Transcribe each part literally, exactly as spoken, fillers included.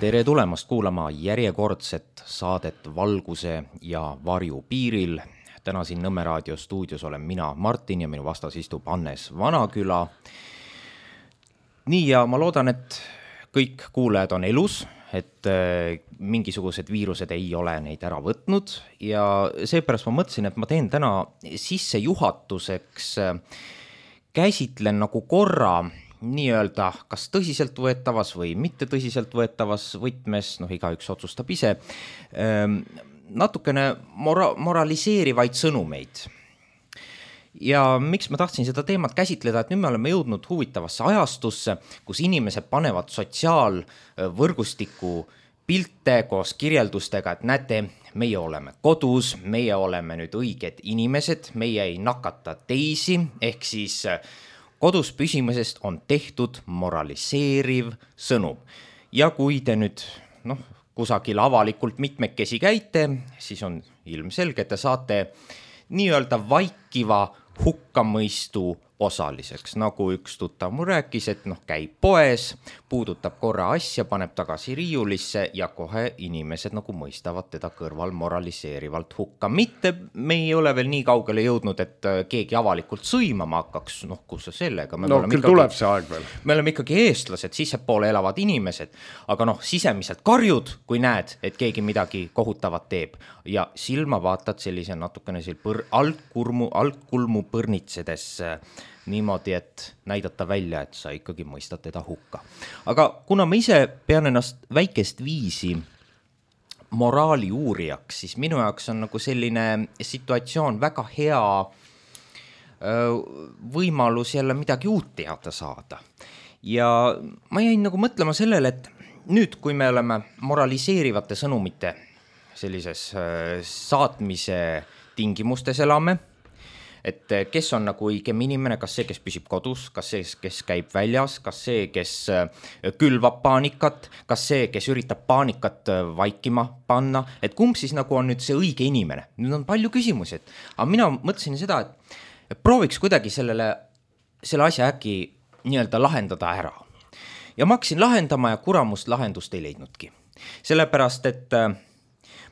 Tere tulemast kuulama järjekordset saadet Valguse ja varju piiril. Täna siin Nõmme raadio stuudios olen mina, Martin, ja minu vastas istub Hannes Vanaküla. Nii, ja ma loodan, et kõik kuulajad on elus, et mingisugused viirused ei ole neid ära võtnud, ja seepärast ma mõtlesin, et ma teen täna sissejuhatuseks, käsitlen nagu korra nii-öelda kas tõsiselt võetavas või mitte tõsiselt võetavas võtmes, noh igaüks otsustab ise, natukene mora- moraliseerivaid sõnumeid. Ja miks ma tahtsin seda teemat käsitleda, et nüüd me oleme jõudnud huvitavasse ajastusse, kus inimesed panevad sotsiaalvõrgustiku pilte koos kirjeldustega, et näete, meie oleme kodus, meie oleme nüüd õiged inimesed, meie ei nakata teisi, ehk siis kodus püsimisest on tehtud moraliseeriv sõnum. Ja kui te nüüd noh, kusagil avalikult mitmekesi käite, siis on ilmselge, et te saate nii-öelda vaikiva hukkamõistu osaliseks. Nagu üks tuttav mu rääkis, et noh, käib poes, puudutab korra asja, paneb tagasi riiulisse ja kohe inimesed nagu mõistavad teda kõrval moraliseerivalt hukka. Mitte me ei ole veel nii kaugele jõudnud, et keegi avalikult sõimama hakkaks, noh kus see sellega. Me no küll ikkagi, tuleb see aeg veel. Me oleme ikkagi eestlased, sissepoole elavad inimesed, aga noh, sisemiselt karjud, kui näed, et keegi midagi kohutavat teeb ja silma vaatad sellise natukene põr- altkulmu, altkulmu põrnitsedes niimoodi, et näidata välja, et sa ikkagi mõistad teda hukka. Aga kuna ma ise pean ennast väikest viisi moraali uurijaks, siis minu jaoks on nagu selline situatsioon väga hea võimalus jälle midagi uut teada saada. Ja ma jäin nagu mõtlema sellele, et nüüd, kui me oleme moraliseerivate sõnumite sellises saatmise tingimustes elame, et kes on nagu õigem inimene, kas see, kes püsib kodus, kas see, kes käib väljas, kas see, kes külvab paanikat, kas see, kes üritab paanikat vaikima panna, et kumb siis nagu on nüüd see õige inimene. Nüüd on palju küsimusi, et, aga mina mõtlesin seda, et prooviks kuidagi sellele, selle asja äkki nii-öelda lahendada ära. Ja ma hakkasin lahendama ja kuramust lahendust ei leidnudki. Sellepärast, et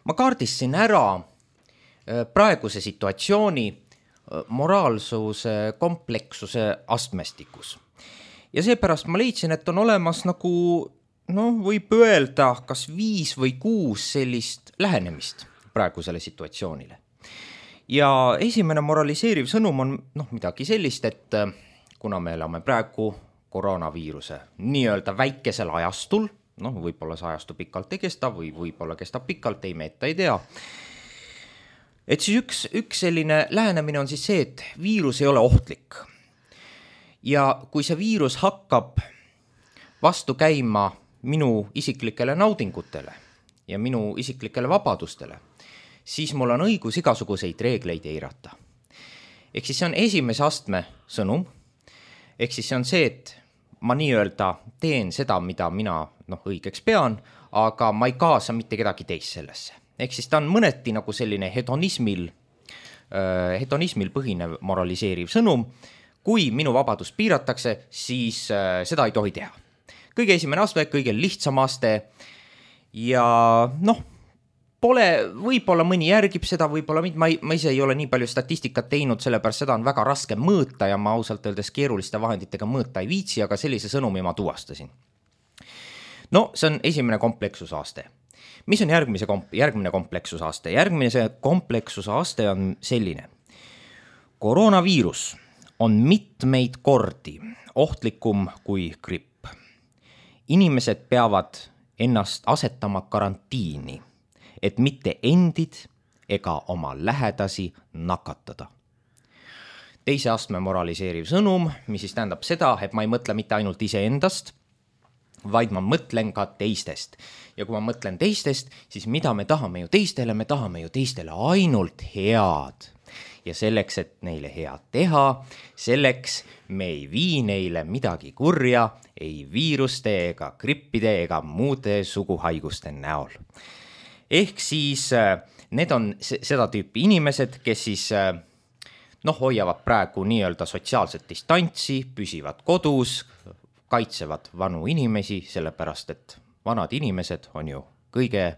ma kaardistasin ära praeguse situatsiooni moraalsuse komplekssuse astmestikus. Ja seepärast ma leidsin, et on olemas nagu, no võib öelda, kas viis või kuus sellist lähenemist praegusele situatsioonile. Ja esimene moraliseeriv sõnum on noh, midagi sellist, et kuna me elame praegu koroonaviiruse nii-öelda väikesel ajastul, noh võib-olla see ajastu pikalt ei kesta või võib-olla kestab pikalt, ei me ette ei tea, et siis üks, üks selline lähenemine on siis see, et viirus ei ole ohtlik. Ja kui see viirus hakkab vastu käima minu isiklikele naudingutele ja minu isiklikele vabadustele, siis mul on õigus igasuguseid reegleid eirata. Ehk siis see on esimese astme sõnum. Ehk siis see on see, et ma nii-öelda teen seda, mida mina noh, õigeks pean, aga ma ei kaasa mitte kedagi teist sellesse. Ehk siis ta on mõneti nagu selline hedonismil, äh, hedonismil põhinev moraliseeriv sõnum. Kui minu vabadust piiratakse, siis äh, seda ei tohi teha. Kõige esimene aste, kõige lihtsam aste ja noh, pole, võib-olla mõni järgib seda, võib-olla ma, ma ise ei ole nii palju statistikat teinud, sellepärast seda on väga raske mõõta ja ma ausalt öeldes keeruliste vahenditega mõõta ei viitsi, aga sellise sõnumi ma tuvastasin. No see on esimene kompleksusaste. Mis on järgmise komp- järgmine kompleksusaste? Järgmise kompleksusaste on selline. Koroonaviirus on mitmeid kordi ohtlikum kui gripp. Inimesed peavad ennast asetama karantiini, et mitte endid ega oma lähedasi nakatada. Teise astme moraliseeriv sõnum, mis siis tähendab seda, et ma ei mõtle mitte ainult iseendast, vaid ma mõtlen ka teistest. Ja kui ma mõtlen teistest, siis mida me tahame ju teistele, me tahame ju teistele ainult head. Ja selleks, et neile head teha, selleks me ei vii neile midagi kurja, ei viiruste ega grippide ega muude suguhaiguste näol. Ehk siis need on seda tüüpi inimesed, kes siis noh, hoiavad praegu nii-öelda sotsiaalset distantsi, püsivad kodus, kaitsevad vanu inimesi, sellepärast et vanad inimesed on ju kõige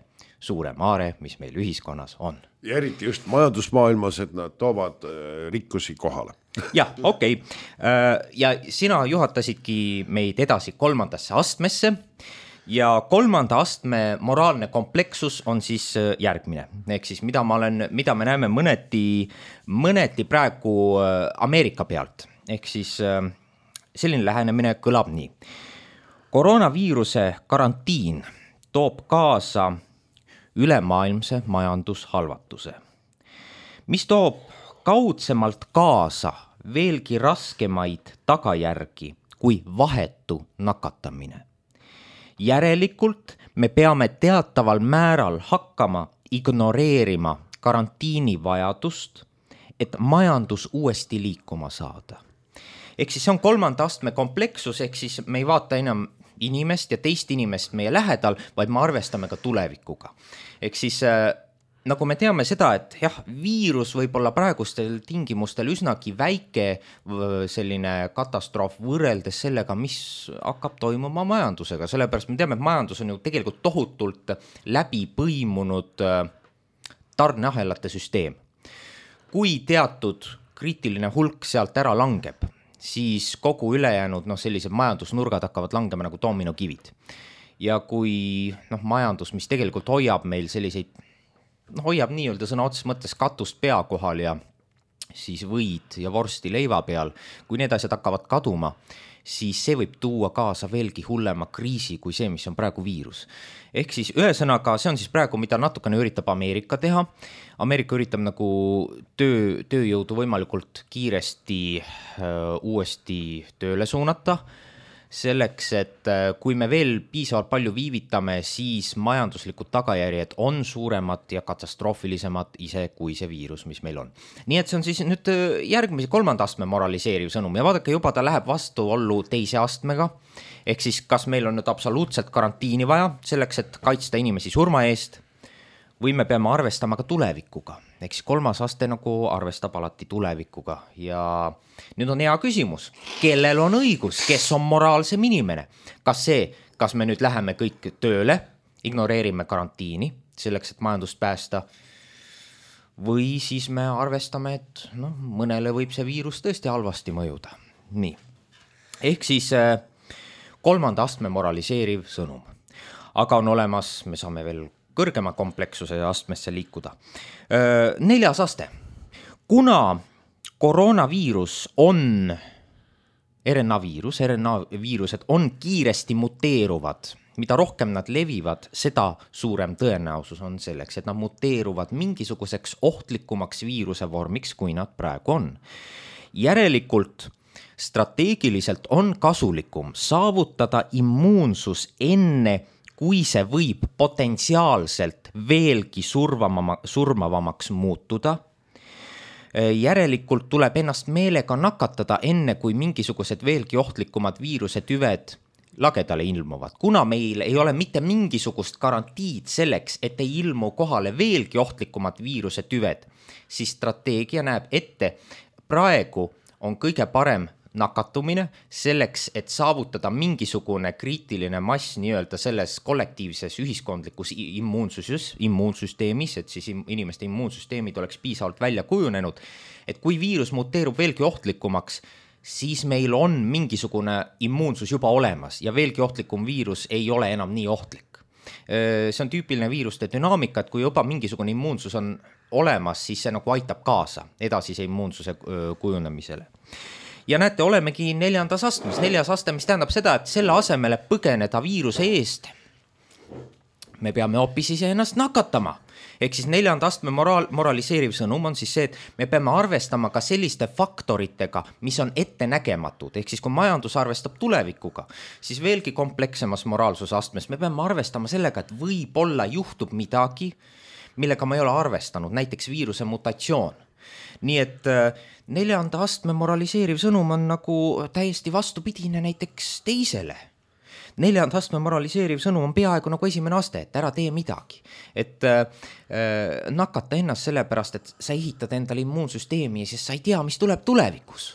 suurem aare, mis meil ühiskonnas on. Ja eriti just majandusmaailmas, et nad toovad rikkusi kohale. jah, okei okay. Ja sina juhatasidki meid edasi kolmandasse astmesse ja kolmanda astme moraalne komplekssus on siis järgmine. Ehk siis mida, ma olen, mida me näeme mõneti, mõneti praegu Ameerika pealt. Ehk siis selline lähenemine kõlab nii. Koroonaviiruse karantiin toob kaasa ülemaailmse majandushalvatuse, mis toob kaudsemalt kaasa veelgi raskemaid tagajärgi kui vahetu nakatamine. Järelikult me peame teataval määral hakkama ignoreerima karantiini vajadust, et majandus uuesti liikuma saada. Ehk siis see on kolmanda astme kompleksus, ehk siis me ei vaata enam inimest ja teist inimest meie lähedal, vaid me arvestame ka tulevikuga. Ehk siis äh, nagu me teame seda, et jah, viirus võib olla praegustel tingimustel üsnagi väike selline katastroof võrreldes sellega, mis hakkab toimuma majandusega. Sellepärast me teame, et majandus on ju tegelikult tohutult läbi põimunud tarneahelate süsteem. Kui teatud kriitiline hulk sealt ära langeb, siis kogu ülejäänud no, sellised majandusnurgad hakkavad langema nagu dominokivid. Ja kui no, majandus, mis tegelikult hoiab meil selliseid, no, hoiab nii-öelda sõna otses mõttes katust pea kohal ja siis võid ja vorsti leiva peal, kui need asjad hakkavad kaduma, siis see võib tuua kaasa veelgi hullema kriisi kui see, mis on praegu viirus. Ehk siis ühesõnaga, see on siis praegu, mida natukene üritab Ameerika teha. Ameerika üritab nagu töö, tööjõudu võimalikult kiiresti öö, uuesti tööle suunata, selleks, et kui me veel piisavalt palju viivitame, siis majanduslikud tagajärjed on suuremad ja katastroofilisemad ise kui see viirus, mis meil on. Nii et see on siis nüüd järgmise kolmanda astme moraliseeriv sõnum ja vaadake, juba ta läheb vastuollu teise astmega, ehk siis kas meil on nüüd absoluutselt karantiini vaja selleks, et kaitsta inimesi surma eest või me peame arvestama ka tulevikuga. Ehk siis kolmas aste nagu arvestab alati tulevikuga ja nüüd on hea küsimus, kellel on õigus, kes on moraalsem inimene? Kas see, kas me nüüd läheme kõik tööle, ignoreerime karantiini selleks, et majandust päästa või siis me arvestame, et no, mõnele võib see viirus tõesti halvasti mõjuda. Nii. Ehk siis kolmanda astme moraliseeriv sõnum. Aga on olemas, me saame veel kõrgema kompleksuse astmesse liikuda. Neljas aste. Kuna koroonaviirus on R N A viirus, R N A viirused on kiiresti muteeruvad, mida rohkem nad levivad, seda suurem tõenäosus on selleks, et nad muteeruvad mingisuguseks ohtlikumaks viiruse vormiks, kui nad praegu on. Järelikult strateegiliselt on kasulikum saavutada immuunsus enne, kui see võib potentsiaalselt veelgi survamama, surmavamaks muutuda. Järelikult tuleb ennast meelega nakatada enne, kui mingisugused veelgi ohtlikumad viiruse tüved lagedale ilmuvad. Kuna meil ei ole mitte mingisugust garantiid selleks, et ei ilmu kohale veelgi ohtlikumad viiruse tüved, siis strateegia näeb ette, praegu on kõige parem nakatumine selleks, et saavutada mingisugune kriitiline mass nii-öelda selles kollektiivses ühiskondlikus immuunsus, immuunsüsteemis, et siis inimeste immuunsüsteemid oleks piisavalt välja kujunenud, et kui viirus muteerub veelgi ohtlikumaks, siis meil on mingisugune immuunsus juba olemas ja veelgi ohtlikum viirus ei ole enam nii ohtlik. See on tüüpiline viiruste dünaamika, et kui juba mingisugune immuunsus on olemas, siis see nagu aitab kaasa edasise immuunsuse kujunemisele. Ja näete, olemegi neljandas astmes, neljas aste, mis tähendab seda, et selle asemele põgeneda viiruse eest, me peame hoopis ise ennast nakatama. Ehk siis neljanda astme moraal, moraliseeriv sõnum on siis see, et me peame arvestama ka selliste faktoritega, mis on ette nägematud. Ehk siis kui majandus arvestab tulevikuga, siis veelgi komplekssemas moraalsuse astmes me peame arvestama sellega, et võib-olla juhtub midagi, millega ma ei ole arvestanud, näiteks viiruse mutatsioon. Nii et neljanda astme moraliseeriv sõnum on nagu täiesti vastupidine näiteks teisele. Neljanda astme moraliseeriv sõnum on peaaegu nagu esimene aste, et ära tee midagi. Et äh, nakata ennast sellepärast, et sa ehitad endale immuunsüsteemi ja siis sa ei tea, mis tuleb tulevikus.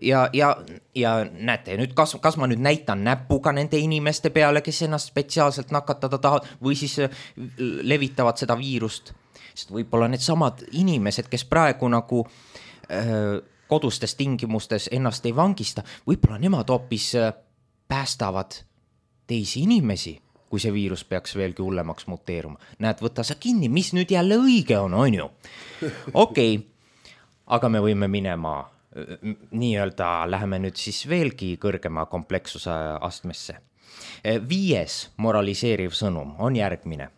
ja, ja, ja näete, nüüd kas, kas ma nüüd näitan näpuga nende inimeste peale, kes ennast spetsiaalselt nakatada tahavad või siis levitavad seda viirust, sest võib-olla need samad inimesed, kes praegu nagu öö, kodustes tingimustes ennast ei vangista, võib-olla nemad hoopis päästavad teisi inimesi, kui see viirus peaks veelgi hullemaks muteeruma. Näed, võta sa kinni, mis nüüd jälle õige on, on ju? Okei, okay. Aga me võime minema nii-öelda, läheme nüüd siis veelgi kõrgema komplekssuse astmesse. Viies moraliseeriv sõnum on järgmine.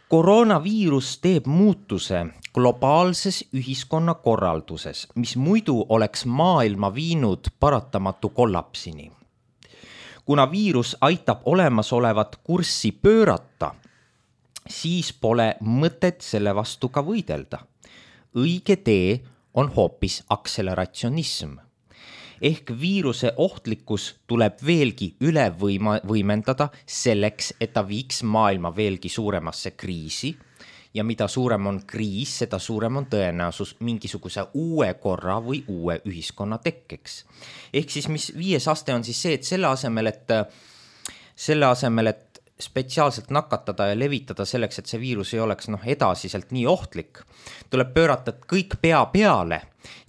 Koroonaviirus teeb muutuse globaalses ühiskonna korralduses, mis muidu oleks maailma viinud paratamatu kollapsini. Kuna viirus aitab olemasolevat kurssi pöörata, siis pole mõtet selle vastu ka võidelda. Õige tee on hoopis akseleratsionism. Ehk viiruse ohtlikkus tuleb veelgi üle võima, võimendada selleks, et ta viiks maailma veelgi suuremasse kriisi. Ja mida suurem on kriis, seda suurem on tõenäosus mingisuguse uue korra või uue ühiskonna tekkeks. Ehk siis mis viies aste on siis see, et selle asemel, et, selle asemel, et spetsiaalselt nakatada ja levitada selleks, et see viirus ei oleks noh, edasiselt nii ohtlik, tuleb pöörata kõik pea peale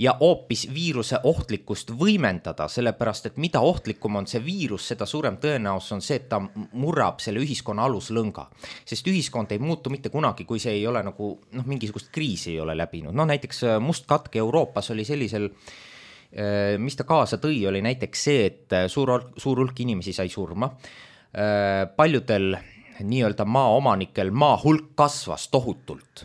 ja hoopis viiruse ohtlikkust võimendada, sellepärast, et mida ohtlikum on see viirus, seda suurem tõenäosus on see, et ta murrab selle ühiskonna aluslõnga. Sest ühiskond ei muutu mitte kunagi, kui see ei ole nagu, noh, mingisugust kriisi ei ole läbinud. No näiteks must katk Euroopas oli sellisel, mis ta kaasa tõi, oli näiteks see, et suur, suur hulk inimesi sai surma. Paljudel nii-öelda maaomanikel maa hulk kasvas tohutult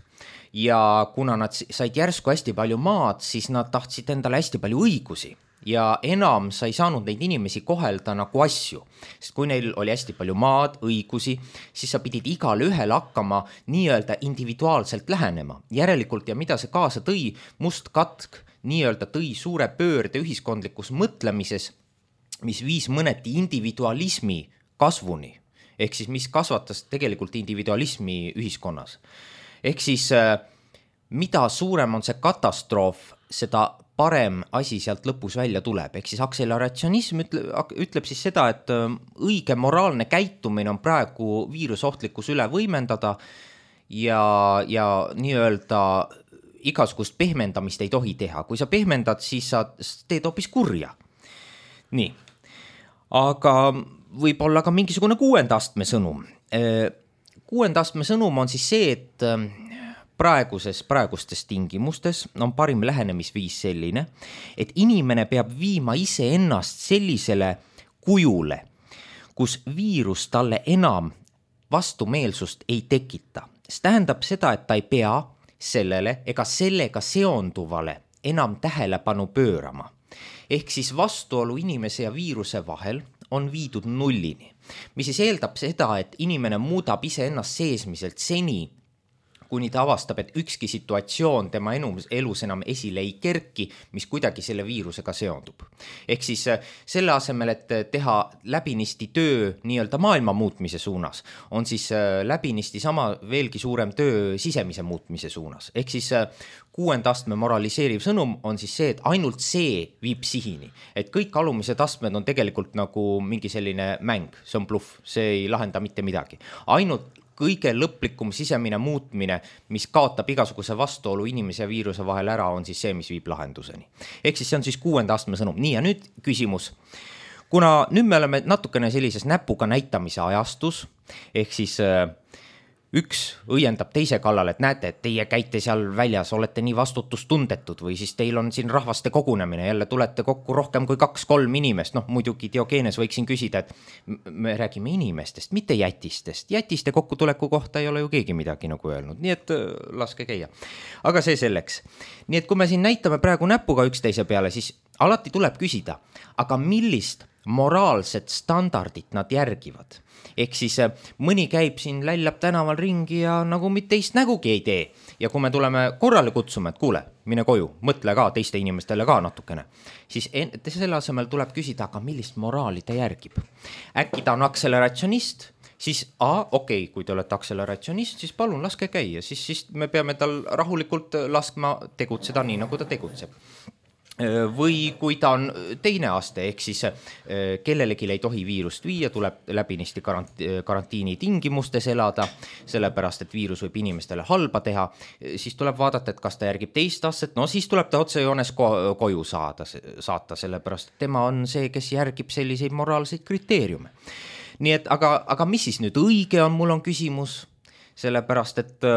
ja kuna nad said järsku hästi palju maad, siis nad tahtsid endale hästi palju õigusi ja enam sa ei saanud neid inimesi kohelda nagu asju, sest kui neil oli hästi palju maad, õigusi, siis sa pidid igal ühel hakkama nii-öelda individuaalselt lähenema. Järelikult ja mida see kaasa tõi, must katk nii-öelda tõi suure pöörde ühiskondlikus mõtlemises, mis viis mõneti individualismi kasvuni, ehk siis mis kasvatas tegelikult individualismi ühiskonnas. Ehk siis mida suurem on see katastroof, seda parem asi sealt lõpus välja tuleb. Ehk siis akseleratsionism ütleb, ütleb siis seda, et õige moraalne käitumine on praegu viirusohtlikkus üle võimendada ja, ja nii-öelda igasugust pehmendamist ei tohi teha. Kui sa pehmendad, siis sa teed hoopis kurja. Nii, aga võib olla ka mingisugune kuuenda astme sõnum. Kuuenda astme sõnum on siis see, et praeguses, praegustes tingimustes on parim lähenemisviis selline, et inimene peab viima ise ennast sellisele kujule, kus viirus talle enam vastumeelsust ei tekita. See tähendab seda, et ta ei pea sellele ega sellega seonduvale enam tähelepanu pöörama. Ehk siis vastuolu inimese ja viiruse vahel on viidud nullini, mis siis eeldab seda, et inimene muudab ise ennast seesmiselt seni, kuni ta avastab, et ükski situatsioon tema elus enam esile ei kerki, mis kuidagi selle viirusega seondub. Ehk siis selle asemel, et teha läbinisti töö nii-öelda maailma muutmise suunas, on siis läbinisti sama veelgi suurem töö sisemise muutmise suunas. Ehk siis kuuenda astme moraliseeriv sõnum on siis see, et ainult see viib sihini. Et kõik alumised astmed on tegelikult nagu mingi selline mäng, see on bluff, see ei lahenda mitte midagi. Ainult kõige lõplikum sisemine muutmine, mis kaotab igasuguse vastuolu inimese ja viiruse vahel ära, on siis see, mis viib lahenduseni. Ehk siis see on siis kuuenda astme sõnum. Nii, ja nüüd küsimus. Kuna nüüd me oleme natukene sellises näpuga näitamise ajastus, ehk siis üks õiendab teise kallal, et näete, et teie käite seal väljas, olete nii vastutustundetud või siis teil on siin rahvaste kogunemine, jälle tulete kokku rohkem kui kaks-kolm inimest, noh muidugi Diogenes võiksin küsida, et me räägime inimestest, mitte jätistest. Jätiste kokkutuleku kohta ei ole ju keegi midagi nagu öelnud, nii et laske käia. Aga see selleks. Nii et kui me siin näitame praegu näpuga üksteise peale, siis alati tuleb küsida, aga millist moraalset standardit nad järgivad. Ehk siis mõni käib siin, lällab tänaval ringi ja nagu mitte teist nägugi ei tee. Ja kui me tuleme korrale kutsume, et kuule, mine koju, mõtle ka teiste inimestele ka natukene, siis selle asemel tuleb küsida, aga millist moraali ta järgib. Äkki ta on akseleratsionist, siis a, okei, okay, kui te olete akseleratsionist, siis palun laske käia, siis, siis me peame tal rahulikult laskma tegutseda nii, nagu ta tegutseb. või kui ta on teine aste, ehk siis kellelegi ei tohi viirust viia, tuleb läbinisti karantiini tingimustes elada, sellepärast, et viirus võib inimestele halba teha, siis tuleb vaadata, et kas ta järgib teist astet, no siis tuleb ta otsejoones ko- koju saada, saata, sellepärast, et tema on see, kes järgib selliseid moraalseid kriteeriume. Nii et, aga, aga mis siis nüüd õige on, mul on küsimus, sellepärast, et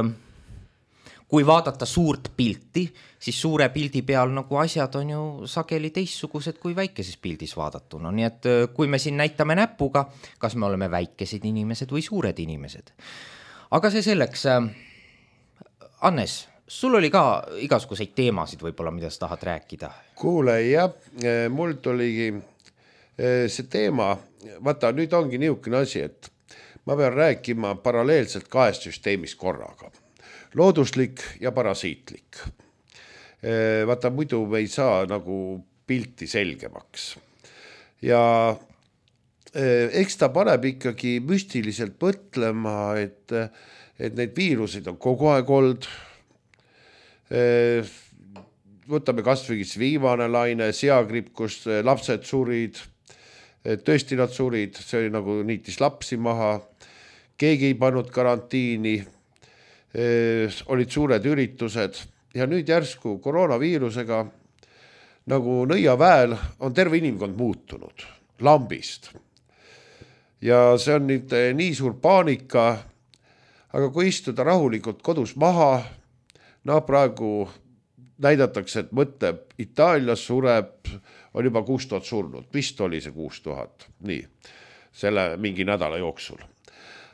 kui vaadata suurt pilti, siis suure pildi peal nagu asjad on ju sageli teistsugused kui väikeses pildis vaadatuna. Nii et kui me siin näitame näpuga, kas me oleme väikesed inimesed või suured inimesed. Aga see selleks, Hannes, sul oli ka igasuguseid teemasid võib-olla, mida sa tahad rääkida? Kuule, jah, mul tuligi see teema, vaata nüüd ongi niisugune asi, et ma pean rääkima paralleelselt kahest süsteemist korraga. Looduslik ja parasiitlik. Vaata, muidu me ei saa nagu pilti selgemaks. Ja eks ta paneb ikkagi müstiliselt mõtlema, et, et neid viiruseid on kogu aeg olnud. Võtame kas või viimane laine, seagripp, kus lapsed surid, tõesti nad surid, see oli nagu niitis lapsi maha, keegi ei pannud karantiini, olid suured üritused ja nüüd järsku koroonaviirusega nagu nõiaväel on terve inimkond muutunud lambist. Ja see on nüüd nii suur paanika, aga kui istuda rahulikult kodus maha, no praegu näidatakse, et mõtleb, Itaalias sureb, on juba kuus tuhat surnud, vist oli see kuus tuhat, nii, selle mingi nädala jooksul.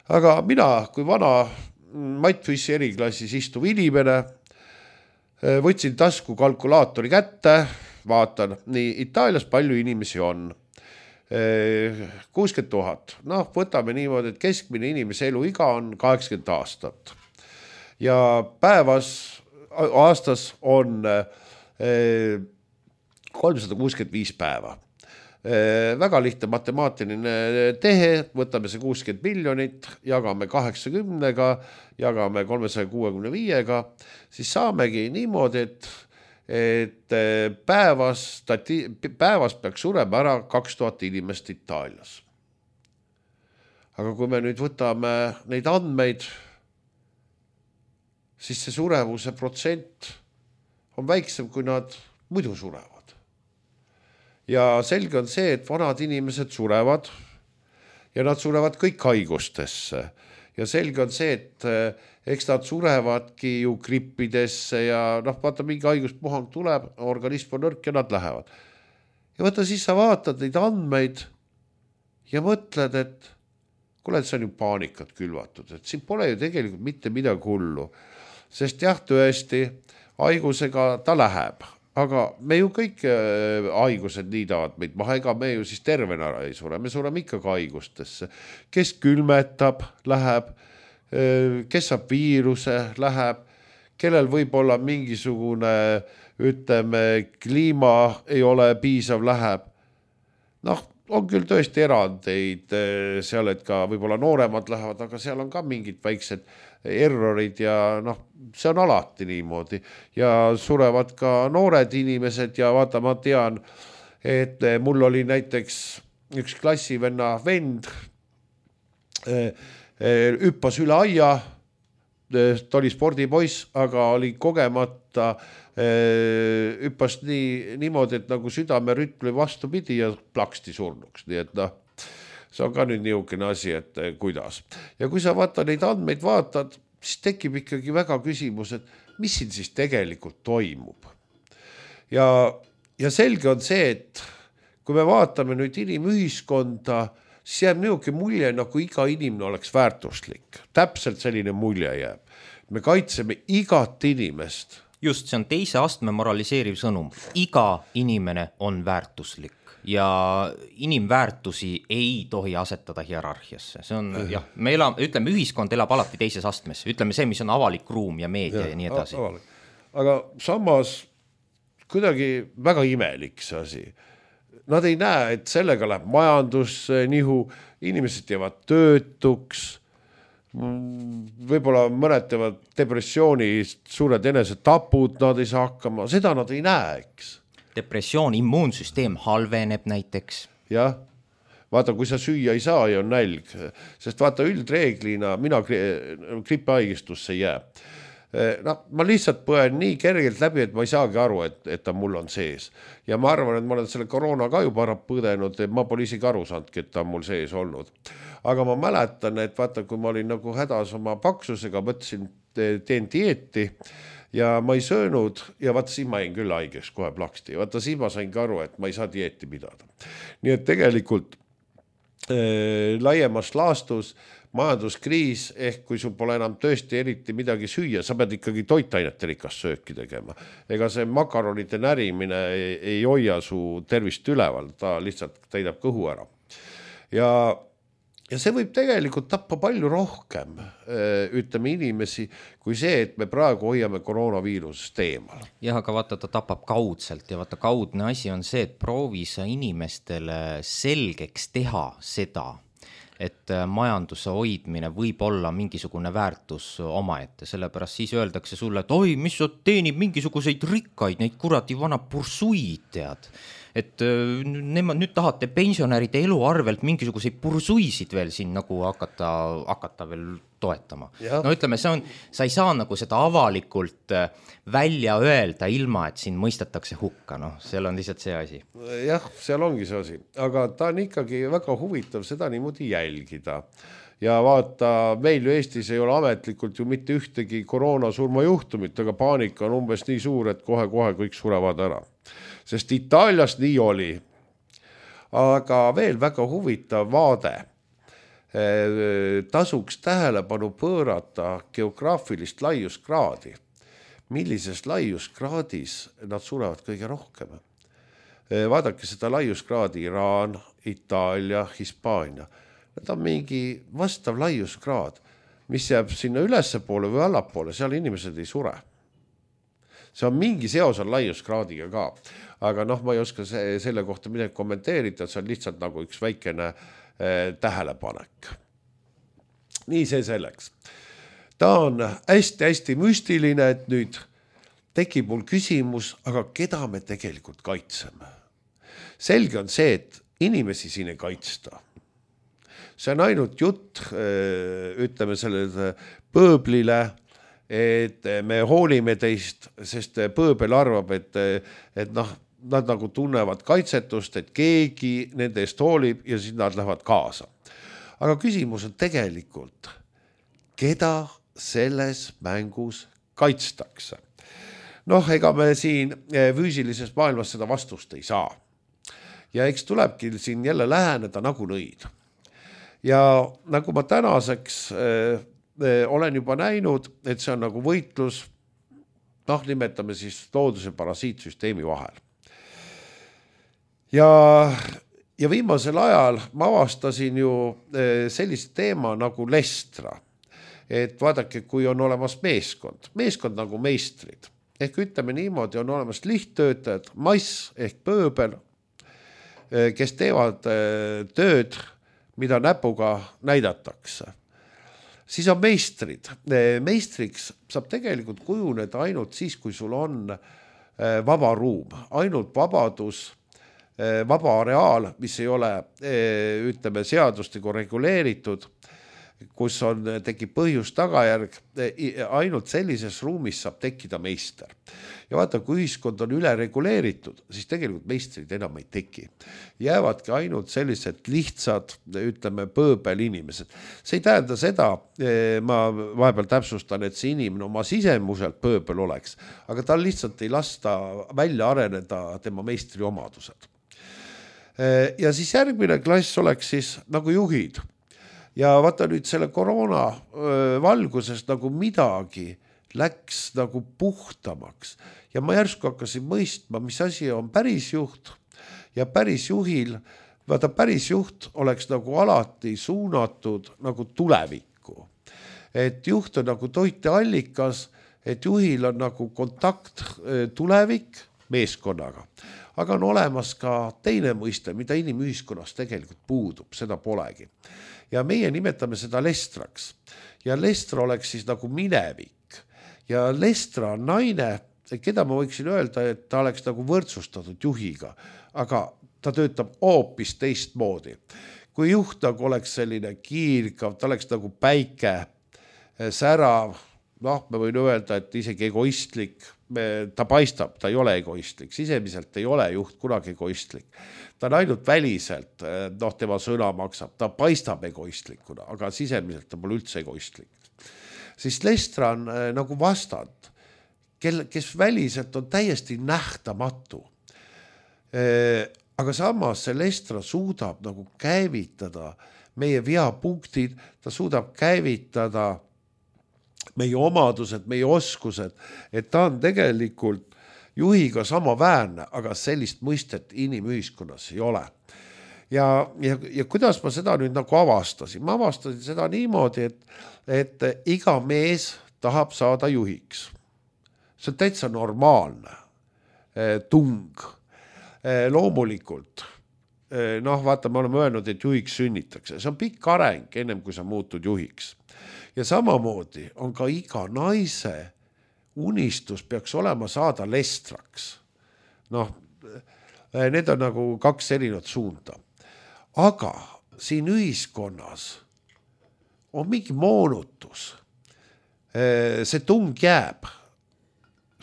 Aga mina, kui vana Matfissi eriklassis istuv inimene, võtsin tasku kalkulaatori kätte, vaatan, nii Itaalias palju inimesi on, kuuskümmend tuhat, noh, võtame niimoodi, et keskmine inimese eluiga on kaheksakümmend aastat ja päevas, aastas on kolmsada kuuskümmend viis päeva. Väga lihtne matemaatiline tehe, võtame see kuuskümmend miljonit, jagame kaheksakümnega, jagame kolmesaja kuuekümne viiega, siis saamegi niimoodi, et, et päevas, päevas peaks surema ära kaks tuhat inimest Itaalias. Aga kui me nüüd võtame neid andmeid, siis see surevuse protsent on väiksem, kui nad muidu surevad. Ja selge on see, et vanad inimesed surevad ja nad surevad kõik haigustesse. Ja selge on see, et eks nad surevadki ju grippidesse ja noh, vaata mingi haiguspuhang tuleb, organism on nõrk ja nad lähevad. Ja vaata siis sa vaatad neid andmeid ja mõtled, et kuule, et see on ju paanikat külvatud, et siin pole ju tegelikult mitte midagi hullu. Sest jah, tõesti, haigusega ta läheb. Aga me ju kõik haigused niidavad meid maha, ega me ju siis tervena ei sure, me sureme ikkagi haigustesse. Kes külmetab, läheb, kes saab viiruse, läheb, kellel võib olla mingisugune, ütleme, kliima ei ole piisav, läheb. Noh, on küll tõesti erandeid seal, et ka võib-olla nooremad lähevad, aga seal on ka mingid väiksed errorid ja noh, see on alati niimoodi ja surevad ka noored inimesed ja vaata, ma tean, et mul oli näiteks üks klassivenna vend hüppas üle aia, ta oli spordipoiss, aga oli kogemata hüppas nii, niimoodi, et nagu südamerütm vastupidi ja plaksti surnuks, nii et noh, see on ka nüüd niisugune asi, et kuidas. Ja kui sa vaata neid andmeid vaatad, siis tekib ikkagi väga küsimus, et mis siin siis tegelikult toimub. Ja, ja selge on see, et kui me vaatame nüüd inimühiskonda, siis jääb niisugune mulje, nagu iga inimene oleks väärtuslik. Täpselt selline mulje jääb. Me kaitseme igat inimest. Just, see on teise astme moraliseeriv sõnum. Iga inimene on väärtuslik. Ja inimväärtusi ei tohi asetada hierarhiasse. See on, mm-hmm. jah, me elame, ütleme, ühiskond elab alati teises astmes. Ütleme see, mis on avalik ruum ja meedia ja, ja nii edasi. Avalik. Aga samas kuidagi väga imelik see asi. Nad ei näe, et sellega läheb majandus nihu, inimesed jäävad töötuks, võib-olla mõned teevad depressiooni, suured enesetapud, nad ei saa hakkama, seda nad ei näe, eks. depressioon, immuunsüsteem halveneb näiteks. Jah, vaata, kui sa süüa ei saa ja on nälg, sest vaata üldreeglina mina gripihaigestusse ei jää. No, ma lihtsalt põen nii kergelt läbi, et ma ei saagi aru, et, et ta mul on sees. Ja ma arvan, et ma olen selle koroona ka juba ära põdenud, et ma pole isegi aru saanudki, et ta on mul sees olnud. Aga ma mäletan, et vaata, kui ma olin nagu hädas oma paksusega, mõtlesin, teen dieeti ja ma ei söönud ja vaata, siin ma jäin küll haigeks kohe plaksti. Vaata, siin ma sain ka aru, et ma ei saa dieeti pidada. Nii et tegelikult äh, laiemas laastus majanduskriis, ehk kui sul pole enam tõesti eriti midagi süüa, sa pead ikkagi toitainete rikast sööki tegema. Ega see makaronite närimine ei, ei hoia su tervist üleval, ta lihtsalt täidab kõhu ära. Ja, ja see võib tegelikult tappa palju rohkem, ütleme inimesi, kui see, et me praegu hoiame koroonaviirusest eemal. Jah, aga vaata, ta tapab kaudselt ja vaata, kaudne asi on see, et proovi sa inimestele selgeks teha seda, et majanduse hoidmine võib olla mingisugune väärtus omaette, sellepärast siis öeldakse sulle, et oi, mis sa teenib mingisuguseid rikkaid, neid kuradi vana pursuid tead. Et nemad nüüd tahate pensionäride elu arvelt mingisuguseid pursuisid veel siin nagu hakata, hakata veel toetama. Ja. No ütleme, see on, sa ei saa nagu seda avalikult välja öelda ilma, et siin mõistetakse hukka, no seal on lihtsalt see asi. Jah, seal ongi see asi, aga ta on ikkagi väga huvitav seda niimoodi jälgida. Ja vaata, meil ju Eestis ei ole ametlikult ju mitte ühtegi koroonasurma juhtumit, aga paanika on umbes nii suur, et kohe-kohe kõik surevad ära. Sest Itaalias nii oli. Aga veel väga huvitav vaade. Tasuks tähelepanu pöörata geograafilist laiuskraadi. Millises laiuskraadis nad surevad kõige rohkem? Vaadake seda laiuskraadi Iraan, Itaalia, Hispaania. Nad on mingi vastav laiuskraad, mis jääb sinna ülesse poole või allapoole, seal inimesed ei sure. See on mingi seos on laiuskraadiga ka, aga noh, ma ei oska see, selle kohta midagi kommenteerida, see on lihtsalt nagu üks väikene eh, tähelepanek. Nii see selleks. Ta on hästi-hästi müstiline, et nüüd tekib mul küsimus, aga keda me tegelikult kaitseme? Selge on see, et inimesi siin ei kaitsta. See on ainult jutt, ütleme sellele pööblile, et me hoolime teist, sest pööbel arvab, et, et noh, nad nagu tunnevad kaitsetust, et keegi nende eest hoolib ja siis nad lähevad kaasa. Aga küsimus on tegelikult, keda selles mängus kaitstakse? Noh, ega me siin füüsilises maailmas seda vastust ei saa. Ja eks tulebki siin jälle läheneda nagu nõid. Ja nagu ma tänaseks äh, äh, olen juba näinud, et see on nagu võitlus, noh, nimetame siis looduse parasiitsüsteemi vahel. Ja, ja viimasel ajal ma avastasin ju äh, sellist teema nagu lestra. Et vaadake, kui on olemas meeskond, meeskond nagu meistrid, ehk ütleme niimoodi, on olemas lihttöötajad, mass ehk pööbel, kes teevad tööd, mida näpuga näidatakse. Siis on meistrid. Meistriks saab tegelikult kujuneda ainult siis, kui sul on vaba ruum, ainult vabadus, vaba areaal, mis ei ole, ütleme, seadustega reguleeritud, kus on, tekib põhjus tagajärg, ainult sellises ruumis saab tekkida meister. Ja vaata, kui ühiskond on üle reguleeritud, siis tegelikult meistrid enam ei teki. Jäävadki ainult sellised lihtsad, ütleme, pööbel inimesed. See ei tähenda seda, ma vahepeal täpsustan, et see inimene oma sisemuselt pööbel oleks, aga tal lihtsalt ei lasta välja areneda tema meistri omadused. Ja siis järgmine klass oleks siis nagu juhid. Ja vaata nüüd selle koroona valguses nagu midagi läks nagu puhtamaks. Ja ma järsku hakkasin mõistma, mis asi on päris juht ja päris juhil. Vaata, päris juht oleks nagu alati suunatud nagu tulevikku. Et juht on nagu toiteallikas, et juhil on nagu kontakt tulevik meeskonnaga. Aga on olemas ka teine mõiste, mida inimühiskonnas tegelikult puudub, seda polegi. Ja meie nimetame seda lestraks. Ja lestra oleks siis nagu minevik. Ja lestra on naine, keda ma võiksin öelda, et ta oleks nagu võrdsustatud juhiga, aga ta töötab hoopis teistmoodi. Kui juht nagu oleks selline kiirgav, ta oleks nagu päike, särav, noh, ma võin öelda, et isegi egoistlik, ta paistab, ta ei ole egoistlik, sisemiselt ei ole juht kunagi egoistlik. Ta on ainult väliselt, noh, tema sõna maksab, ta paistab egoistlikuna, aga sisemiselt ta pole üldse egoistlik. Siis Lestra on nagu vastand, kes väliselt on täiesti nähtamatu. Aga samas see Lestra suudab nagu käivitada meie veapunktid, ta suudab käivitada meie omadused, meie oskused, et ta on tegelikult juhiga samaväärne, aga sellist mõistet inimühiskonnas ei ole. Ja, ja, ja kuidas ma seda nüüd nagu avastasin? Ma avastasin seda niimoodi, et, et iga mees tahab saada juhiks. See on täitsa normaalne tung. Loomulikult, noh, vaata, me oleme öelnud, et juhiks sünnitakse. See on pikk areng, ennem kui sa muutud juhiks. Ja samamoodi on ka iga naise unistus peaks olema saada Lestraks. Noh, need on nagu kaks erinevat suunda. Aga siin ühiskonnas on mingi moonutus. See tung jääb.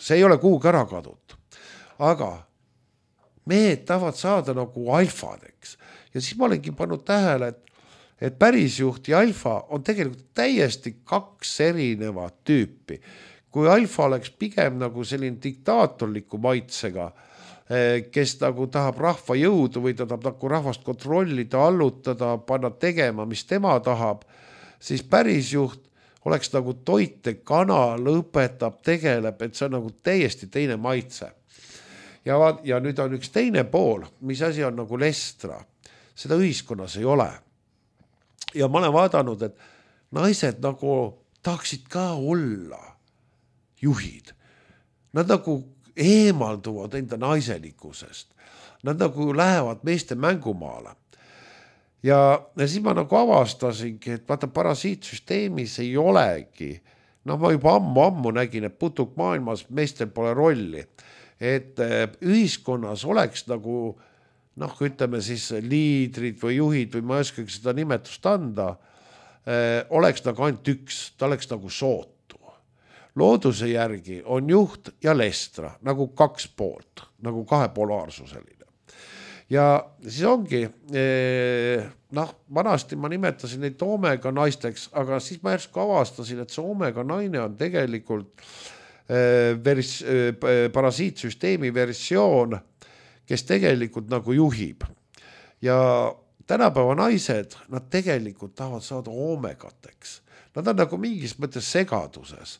See ei ole kuhugi ära kadud. Aga mehed tahavad saada nagu alfadeks. Ja siis ma olengi pannud tähele, et et pärisjuht ja alfa on tegelikult täiesti kaks erinevat tüüpi. Kui alfa oleks pigem nagu selline diktaatorliku maitsega, kes nagu tahab rahva jõudu või ta tahab nagu rahvast kontrollida, allutada, panna tegema, mis tema tahab, siis pärisjuht oleks nagu toite kanal, õpetab, tegeleb, et see on nagu täiesti teine maitse. Ja, ja nüüd on üks teine pool, mis asi on nagu Lestra. Seda ühiskonnas ei ole. Ja ma olen vaadanud, et naised nagu tahaksid ka olla juhid. Nad nagu eemalduvad enda naiselikkusest. Nad nagu lähevad meeste mängumaale. Ja, ja siis ma nagu avastasingi, et vaata parasiitsüsteemis ei olegi. No ma juba ammu-ammu nägin, et putuk maailmas meestel pole rolli. Et ühiskonnas oleks nagu noh, ütleme siis liidrid või juhid või ma ei oskagi seda nimetust anda, oleks nagu ainult üks, ta oleks nagu sootu. Looduse järgi on juht ja Lestra, nagu kaks poolt, nagu kahe polaarsuseline. Ja siis ongi, noh, vanasti ma nimetasin neid omega naisteks, aga siis ma järsku avastasin, et see omega naine on tegelikult vers, parasiitsüsteemi versioon, kes tegelikult nagu juhib. Ja tänapäeva naised, nad tegelikult tahavad saada omegateks. Nad on nagu mingis mõttes segaduses,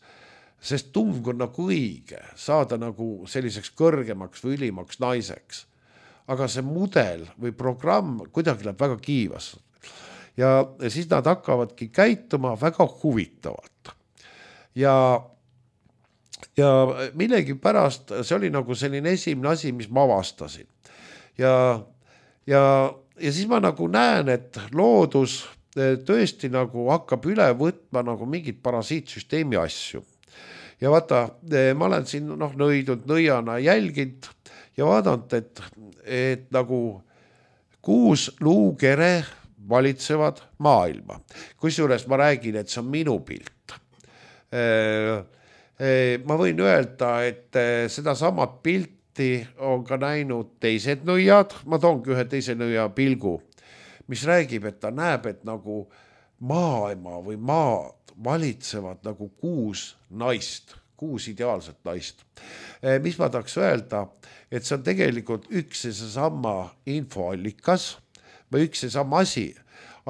sest tung on nagu õige, saada nagu selliseks kõrgemaks või ülimaks naiseks. Aga see mudel või programm kuidagi läheb väga kiivas. Ja siis nad hakkavadki käituma väga huvitavalt. Ja Ja millegi pärast see oli nagu selline esimene asi, mis ma avastasin. Ja, ja, ja siis ma nagu näen, et loodus tõesti nagu hakkab üle võtma nagu mingid parasiitsüsteemi asju. Ja vaata, ma olen siin noh, nõidnud nõiana jälginud ja vaadanud, et, et nagu kuus luukere valitsevad maailma. Kusjuures ma räägin, et see on minu pilt. Ma võin öelda, et seda samat pilti on ka näinud teised nõiad, ma toongi ühe teise nõia pilgu, mis räägib, et ta näeb, et nagu maailma või maad valitsevad nagu kuus naist, kuus ideaalset naist. Mis ma tahaks öelda, et see on tegelikult üks ja seesama infoallikas või üks ja sama asi,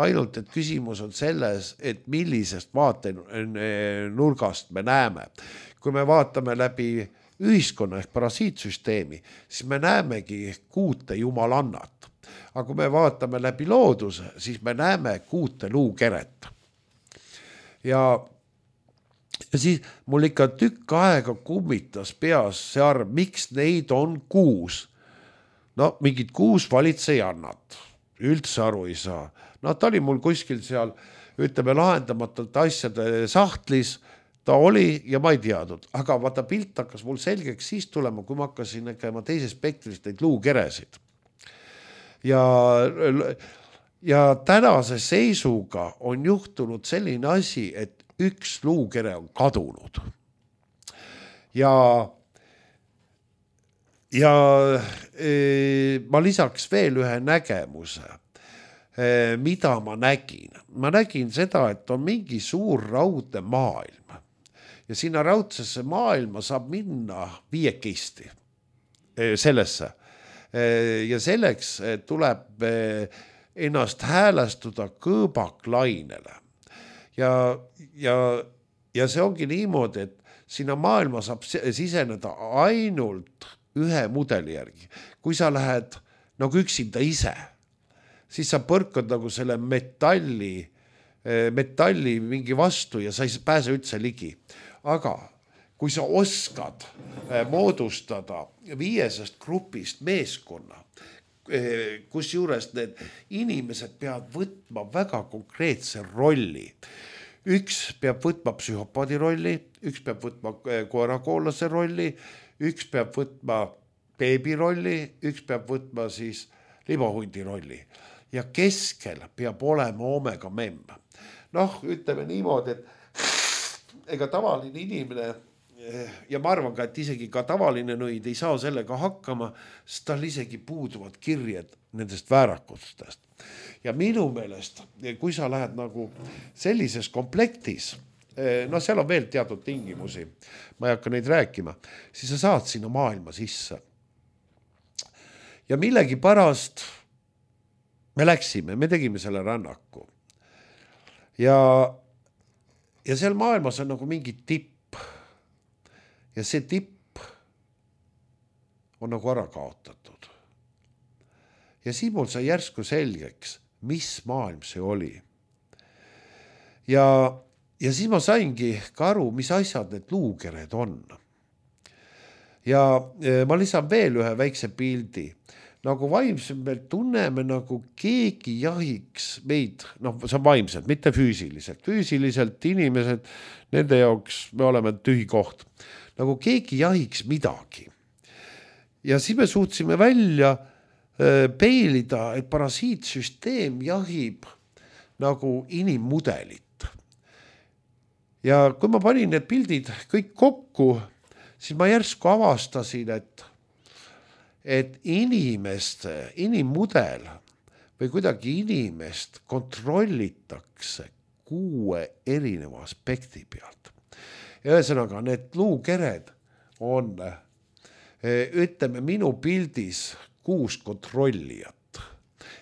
ainult et küsimus on selles, et millisest vaatenurgast me näeme. Kui me vaatame läbi ühiskonna ehk parasiitsüsteemi, siis me näemegi kuute jumalannat. Aga kui me vaatame läbi looduse, siis me näeme kuute luukeret. Ja, ja siis mul ikka tükk aega kummitas peas see arv, miks neid on kuus. No mingid kuus valitsejannat, üldse aru ei saa. No ta oli mul kuskil seal, ütleme, lahendamatult asjade sahtlis, ta oli ja ma ei teadnud, aga vaata pilt hakkas mul selgeks siis tulema, kui ma hakkasin nägema teises spektrist neid luukeresid. Ja, ja tänase seisuga on juhtunud selline asi, et üks luukere on kadunud. Ja, ja e, ma lisaks veel ühe nägemuse, e, mida ma nägin. Ma nägin seda, et on mingi suur raudne maailm. Ja sinna raudsesse maailma saab minna viiekisti sellesse. Ja selleks tuleb ennast häälestuda kõõbaklainele. Ja, ja, ja see ongi niimoodi, et sinna maailma saab siseneda ainult ühe mudeli järgi. Kui sa lähed nagu üksinda ise, siis sa põrkad nagu selle metalli, metalli mingi vastu ja sa ei pääse üldse ligi. Aga kui sa oskad moodustada viiesest grupist meeskonna, kus juures need inimesed peavad võtma väga konkreetse rolli. Üks peab võtma psühhopaadi rolli, üks peab võtma koerakoolase rolli, üks peab võtma beebi rolli, üks peab võtma siis libahundi rolli. Ja keskel peab olema omega memm. Noh, ütleme niimoodi, et ega tavaline inimene, ja ma arvan ka, et isegi ka tavaline nõid ei saa sellega hakkama, sest tal isegi puuduvad kirjed nendest väärakustest. Ja minu meelest, kui sa lähed nagu sellises komplektis, no seal on veel teatud tingimusi, ma ei hakka neid rääkima, siis sa saad sinna maailma sisse. Ja millegi pärast me läksime, me tegime selle rännaku. Ja Ja seal maailmas on nagu mingi tipp. Ja see tipp on nagu ära kaotatud. Ja siin mul sai järsku selgeks, mis maailm see oli. Ja, ja siis ma saingi ka aru, mis asjad need luukered on. Ja ma lisan veel ühe väikse pildi. Nagu vaimselt me tunneme nagu keegi jahiks meid, noh, see on vaimselt, mitte füüsiliselt. Füüsiliselt inimesed, nende jaoks me oleme tühi koht. Nagu keegi jahiks midagi. Ja siis me suutsime välja peilida, et parasiitsüsteem jahib nagu inimmudelit. Ja kui ma panin need pildid kõik kokku, siis ma järsku avastasin, et et inimeste, inimmudel või kuidagi inimest kontrollitakse kuue erineva aspekti pealt. Ja ühesõnaga, need luukered on, ütleme minu pildis kuus kontrollijat.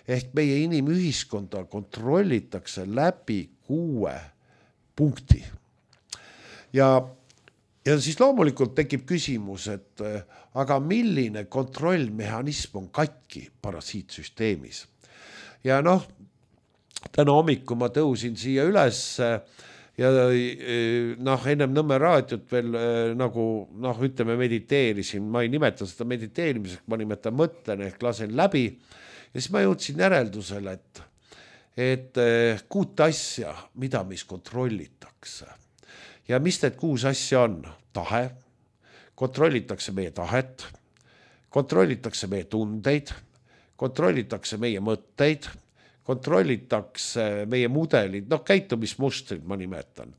Ehk meie inimühiskonda kontrollitakse läbi kuue punkti. Ja Ja siis loomulikult tekib küsimus, et aga milline kontrollmehhanism on katki parasiitsüsteemis. Ja noh, täna hommiku ma tõusin siia üles ja noh, ennem Nõmme raadiot veel nagu, noh, ütleme mediteerisin, ma ei nimeta seda mediteerimiseks, ma nimetan mõtlen ehk lasen läbi. Ja siis ma jõudsin järeldusele, et, et kuut asja, mida mis kontrollitakse. Ja mis need kuus asja on? Tahe, kontrollitakse meie tahet, kontrollitakse meie tundeid, kontrollitakse meie mõtteid, kontrollitakse meie mudelid, noh käitumismustrid ma nimetan,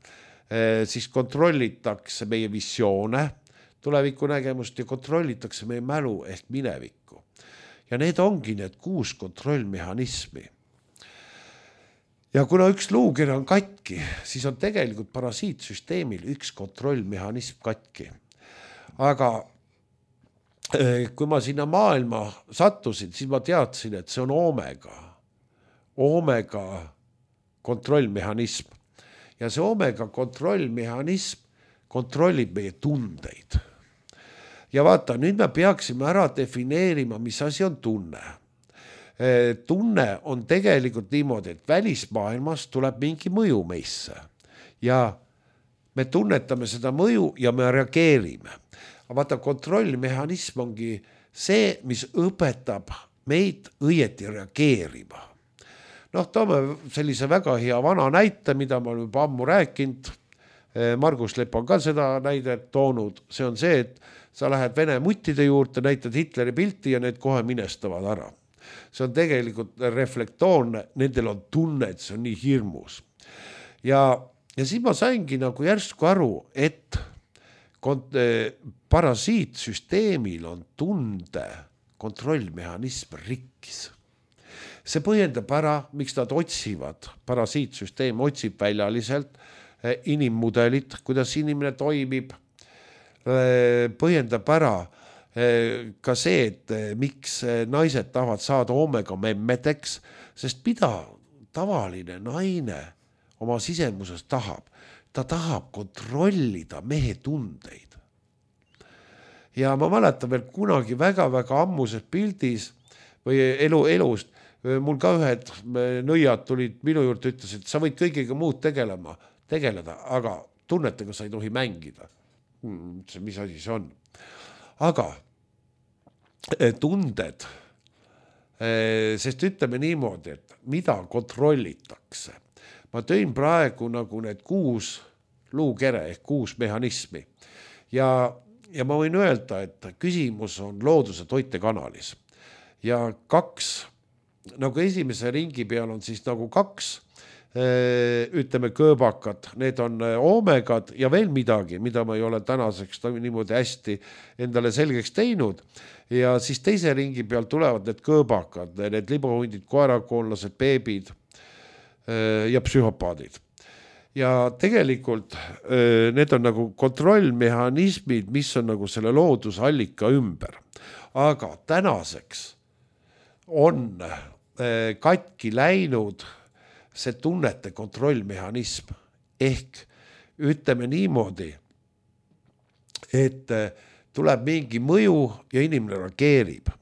e, siis kontrollitakse meie visioone, tuleviku nägemust ja kontrollitakse meie mälu ehk minevikku. Ja need ongi need kuus kontrollmehhanismi. Ja kuna üks luukere on katki, siis on tegelikult parasiitsüsteemil üks kontrollmehhanism katki. Aga kui ma sinna maailma sattusin, siis ma teadsin, et see on omega. Omega kontrollmehhanism. Ja see omega kontrollmehhanism kontrollib meie tundeid. Ja vaata, nüüd me peaksime ära defineerima, mis asi on tunne. Tunne on tegelikult niimoodi, et välismaailmas tuleb mingi mõju meisse ja me tunnetame seda mõju ja me reageerime. Aga vaata, kontrollmehhanism ongi see, mis õpetab meid õieti reageerima. Noh, toome sellise väga hea vana näite, mida ma olen juba ammu rääkinud. Margus Lepp on ka seda näidet toonud, see on see, et sa lähed Vene muttide juurde, näitad Hitleri pilti ja need kohe minestavad ära. See on tegelikult reflektoorne, nendel on tunne, et see on nii hirmus. Ja, ja siis ma saingi nagu järsku aru, et kont- parasiitsüsteemil on tunde kontrollmehhanism rikkis. See põhjendab ära, miks nad otsivad, parasiitsüsteem otsib väljaliselt inimmudelit, kuidas inimene toimib, põhjendab ära ka see, et miks naised tahavad saada omega memmedeks, sest mida tavaline naine oma sisemuses tahab? Ta tahab kontrollida mehe tundeid. Ja ma mäletan veel kunagi väga-väga ammuses pildis või elu elust, mul ka ühed nõiad tulid minu juurde, ütlesid, et sa võid kõigiga muud tegelema, tegeleda, aga tunnetega sa ei tohi mängida. Hmm, mis asi see on? Aga tunded, sest ütleme niimoodi, et mida kontrollitakse. Ma tõin praegu nagu need kuus luukere ehk kuus mehhanismi ja, ja ma võin öelda, et küsimus on looduse toitekanalis ja kaks, nagu esimese ringi peal on siis nagu kaks ütleme kõõbakad, need on omegad ja veel midagi, mida ma ei ole tänaseks niimoodi hästi endale selgeks teinud ja siis teise ringi peal tulevad need kõõbakad, need libohundid, koerakoonlased, beebid ja psühhopaadid. Ja tegelikult need on nagu kontrollmehhanismid, mis on nagu selle loodusallika ümber. Aga tänaseks on katki läinud see tunnete kontrollmehhanism ehk ütleme niimoodi, et tuleb mingi mõju ja inimene reageerib.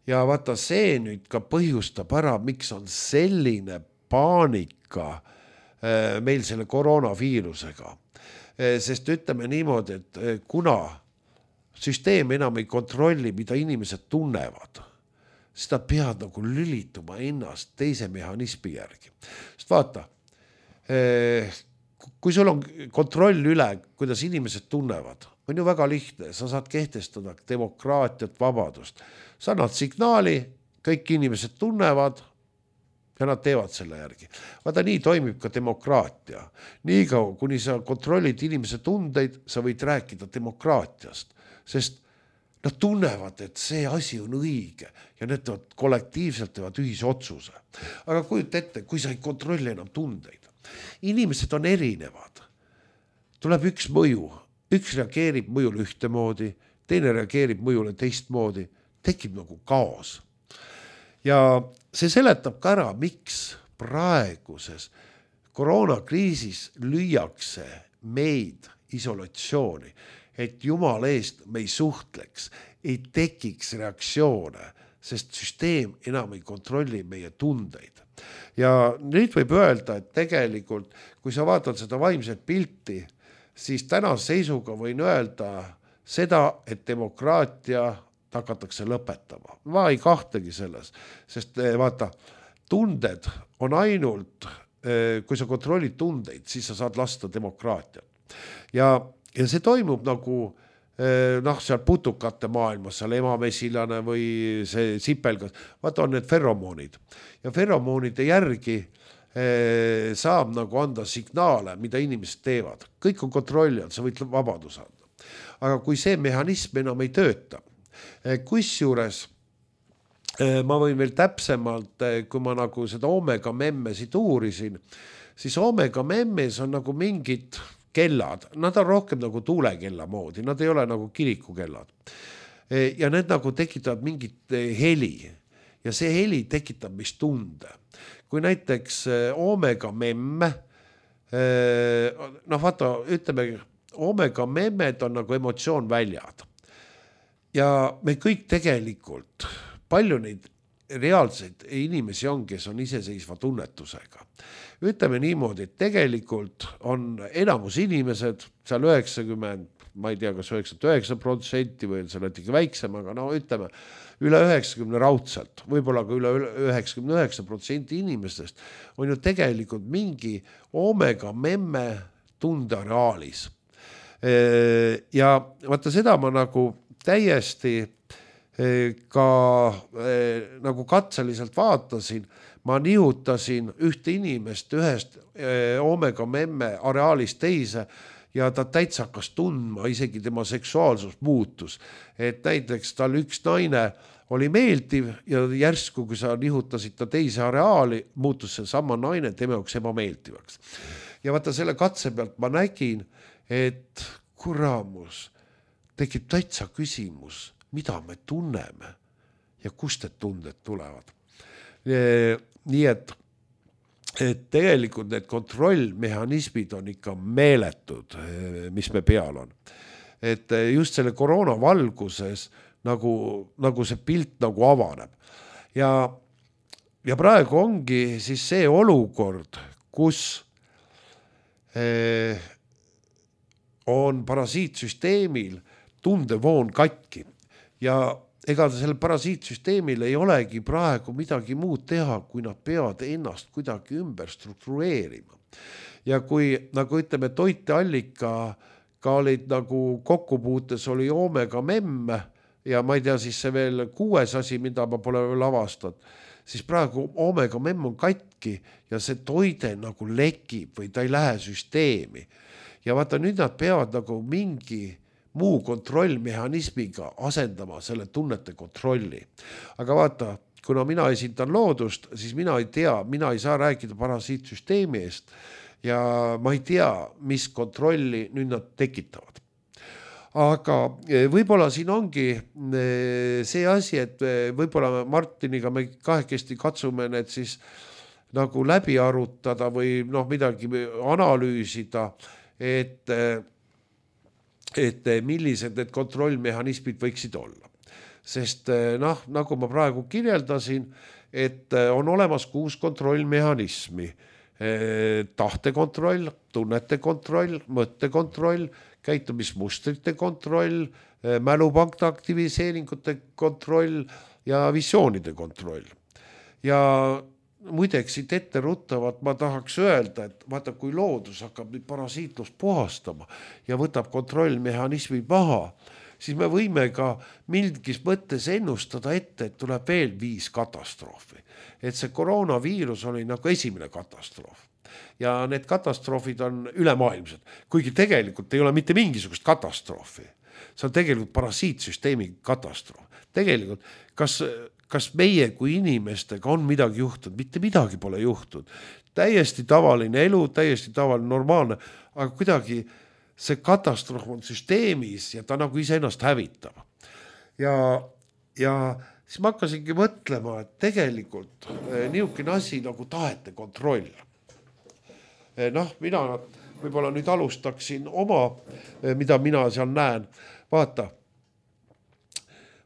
Ja vaata see nüüd ka põhjustab ära, miks on selline paanika meil selle koroonaviirusega. Sest ütleme niimoodi, et kuna süsteem enam ei kontrolli, mida inimesed tunnevad, siis ta pead nagu lülituma ennast teise mehhanismi järgi. Sest vaata, kui sul on kontroll üle, kuidas inimesed tunnevad, on ju väga lihtne, sa saad kehtestada demokraatiat, vabadust. Sa annad signaali, kõik inimesed tunnevad ja nad teevad selle järgi. Vaata, nii toimib ka demokraatia. Nii kaua, kuni sa kontrollid inimese tundeid, sa võid rääkida demokraatiast, sest nad tunnevad, et see asi on õige ja need kollektiivselt teevad ühise otsuse. Aga kujut ette, kui sa ei kontrolli enam tundeid. Inimesed on erinevad. Tuleb üks mõju. Üks reageerib mõjule ühtemoodi, teine reageerib mõjule teistmoodi. Tekib nagu kaos. Ja see seletab ka ära, miks praeguses koroonakriisis lüüakse meid isolatsiooni, et Jumal eest me ei suhtleks, ei tekiks reaktsioone, sest süsteem enam ei kontrolli meie tundeid. Ja nüüd võib öelda, et tegelikult, kui sa vaatad seda vaimset pilti, siis tänase seisuga võin öelda seda, et demokraatia hakatakse lõpetama. Ma ei kahtegi selles, sest vaata, tunded on ainult, kui sa kontrollid tundeid, siis sa saad lasta demokraatiat. Ja Ja see toimub nagu noh, seal putukate maailmas, seal emamesilane või see sipelgas, vaata on need feromoonid. Ja feromoonide järgi saab nagu anda signaale, mida inimesed teevad. Kõik on kontrollijad, sa võid vabadus anda. Aga kui see mehhanism enam ei tööta, kus juures ma võin veel täpsemalt, kui ma nagu seda omega memmesid uurisin, siis omega memmes on nagu mingid kellad, nad on rohkem nagu tuulekella moodi, nad ei ole nagu kirikukellad. Ja need nagu tekitavad mingit heli ja see heli tekitab mis tunde. Kui näiteks omega memme, noh vaata, ütleme, omega memmed on nagu emotsioon väljad. Ja me kõik tegelikult, palju neid reaalseid inimesi on, kes on iseseisva tunnetusega. Ütleme niimoodi, et tegelikult on enamus inimesed, seal üheksakümmend, ma ei tea, kas üheksakümmend üheksa protsenti või see on väiksem, aga no ütleme, üle üheksakümne raudselt, võib-olla ka üle üheksakümne üheksa protsenti inimestest on ju tegelikult mingi omega memme tundeareaalis. Ja vaata seda ma nagu täiesti ka nagu katseliselt vaatasin, ma nihutasin ühte inimest ühest Omega memme areaalist teise ja ta täitsa hakkas tundma, isegi tema seksuaalsus muutus. Et näiteks tal üks naine oli meeldiv ja järsku, kui sa nihutasid ta teise areaali, muutus see sama naine tema jaoks ebameeldivaks. Ja vaata selle katse pealt ma nägin, et kuramus, tekib täitsa küsimus, mida me tunneme ja kust need tunded tulevad. Nii et, et tegelikult need kontrollmehhanismid on ikka meeletud, mis me peal on. Et just selle koroona valguses nagu, nagu see pilt nagu avaneb. Ja, ja praegu ongi siis see olukord, kus eh, on parasiitsüsteemil tundevoon katki. Ja ega sellel parasiitsüsteemil ei olegi praegu midagi muud teha, kui nad peavad ennast kuidagi ümber struktureerima. Ja kui, nagu ütleme, toiteallika ka olid nagu kokkupuutes oli Omega memme ja ma ei tea siis see veel kuues asi, mida ma pole veel avastanud, siis praegu Omega memme on katki ja see toide nagu lekib või ta ei lähe süsteemi. Ja vaata, nüüd nad peavad nagu mingi muu kontrollmehhanismiga asendama selle tunnete kontrolli. Aga vaata, kuna mina esindan loodust, siis mina ei tea, mina ei saa rääkida parasiitsüsteemi eest ja ma ei tea, mis kontrolli nüüd nad tekitavad. Aga võib-olla siin ongi see asi, et võib-olla Martiniga me kahekesti katsume need siis nagu läbi arutada või noh, midagi analüüsida, et et millised need kontrollmehhanismid võiksid olla. Sest noh, nagu ma praegu kirjeldasin, et on olemas kuus kontrollmehhanismi. Tahtekontroll, tunnete kontroll, mõttekontroll, käitumismustrite kontroll, mälupankta aktiviseeringute kontroll ja visioonide kontroll. Ja muideks siit ette ruttavad, ma tahaks öelda, et vaata, kui loodus hakkab nüüd parasiitlust puhastama ja võtab kontrollmehhanismi maha, siis me võime ka mingis mõttes ennustada ette, et tuleb veel viis katastroofi. Et see koroonaviirus oli nagu esimene katastroof. Ja need katastroofid on ülemaailmsed, kuigi tegelikult ei ole mitte mingisugust katastroofi. See on tegelikult parasiitsüsteemi katastroof. Tegelikult, kas... kas meie kui inimestega on midagi juhtunud, mitte midagi pole juhtunud. Täiesti tavaline elu, täiesti tavaline normaalne, aga kuidagi see katastroof on süsteemis ja ta nagu ise ennast hävitab. Ja, ja siis ma hakkasingi mõtlema, et tegelikult niisugune asi nagu tahete kontroll. Noh, mina võib-olla nüüd alustaksin oma, mida mina seal näen. Vaata,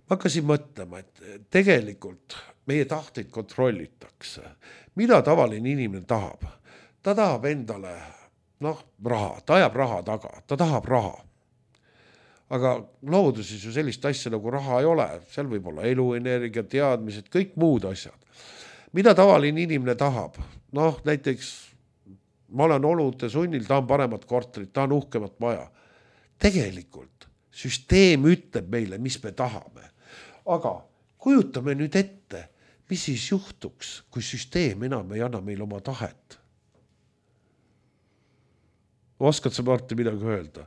ma hakkasin mõtlema, et tegelikult meie tahteid kontrollitakse. Mida tavaline inimene tahab? Ta tahab endale noh, raha, ta ajab raha taga, ta tahab raha. Aga looduses ju sellist asja nagu raha ei ole, seal võib olla eluenergia, teadmised, kõik muud asjad. Mida tavaline inimene tahab? Noh, näiteks ma olen olude sunnil, tahan paremat korterit, tahan uhkemat maja. Tegelikult süsteem ütleb meile, mis me tahame. Aga kujutame nüüd ette, mis siis juhtuks, kui süsteem enam ei anna meil oma tahet. Oskad sa, Martin, midagi öelda?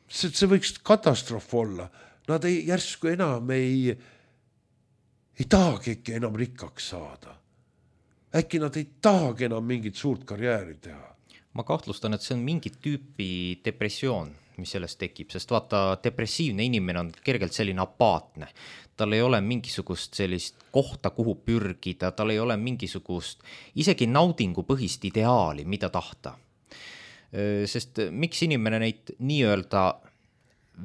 See, see võiks katastroof olla. Nad ei, järsku enam ei, ei tahagi enam rikkaks saada. Äkki nad ei tahagi enam mingit suurt karjääri teha. Ma kahtlustan, et see on mingit tüüpi depressioon, mis sellest tekib, sest vaata, depressiivne inimene on kergelt selline apaatne. Tal ei ole mingisugust sellist kohta, kuhu pürgida, tal ei ole mingisugust isegi naudingu põhist ideaali, mida tahta. Sest miks inimene neid nii-öelda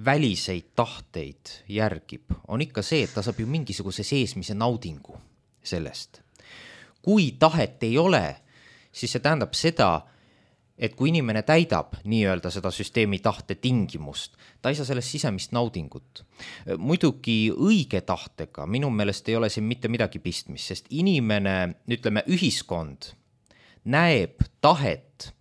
väliseid tahteid järgib, on ikka see, et ta saab ju mingisuguse seesmise naudingu sellest. Kui tahet ei ole, siis see tähendab seda, et kui inimene täidab nii-öelda seda süsteemi tahte tingimust, ta ei saa sellest sisemist naudingut. Muidugi õige tahtega minu meelest ei ole siin mitte midagi pistmist, sest inimene, ütleme, ühiskond näeb tahet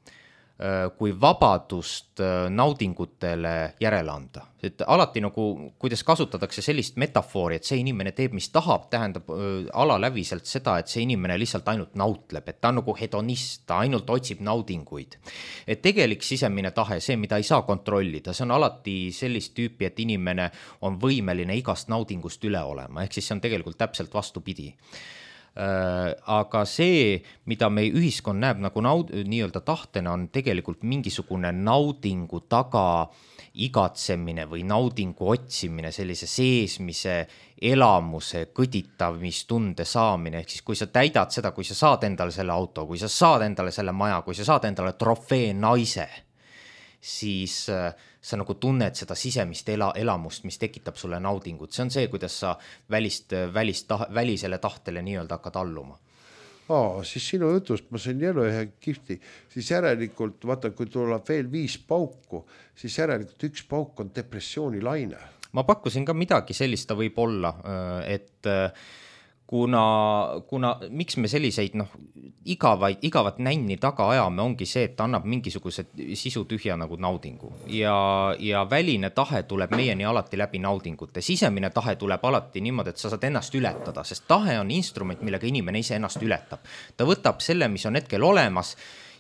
kui vabadust naudingutele järele anda. Et alati nagu, kuidas kasutatakse sellist metafoori, et see inimene teeb, mis tahab, tähendab alaläviselt seda, et see inimene lihtsalt ainult nautleb, et ta on nagu hedonist, ta ainult otsib naudinguid. Et tegelik sisemine tahe, see, mida ei saa kontrollida, see on alati sellist tüüpi, et inimene on võimeline igast naudingust üle olema, ehk siis see on tegelikult täpselt vastupidi. Aga see, mida meie ühiskond näeb nagu naud, nii-öelda tahtena, on tegelikult mingisugune naudingu taga igatsemine või naudingu otsimine, sellise seesmise elamuse, kõditamistunde saamine, ehk siis kui sa täidad seda, kui sa saad endale selle auto, kui sa saad endale selle maja, kui sa saad endale trofee naise, siis sa nagu tunned seda sisemist ela, elamust, mis tekitab sulle naudingut. See on see, kuidas sa välist, välist, tah, välisele tahtele nii-öelda hakkad alluma. Aa, siis sinu jutust ma sain jälle ühe kihti, siis järelikult, vaata, kui tuleb veel viis pauku, siis järelikult üks pauk on depressiooni laine. Ma pakkusin ka midagi sellist, ta võib olla, et kuna, kuna miks me selliseid noh, igavaid, igavat nänni taga ajame, ongi see, et ta annab mingisuguse sisu tühja nagu naudingu ja, ja väline tahe tuleb meieni alati läbi naudingute. Sisemine tahe tuleb alati niimoodi, et sa saad ennast ületada, sest tahe on instrument, millega inimene ise ennast ületab. Ta võtab selle, mis on hetkel olemas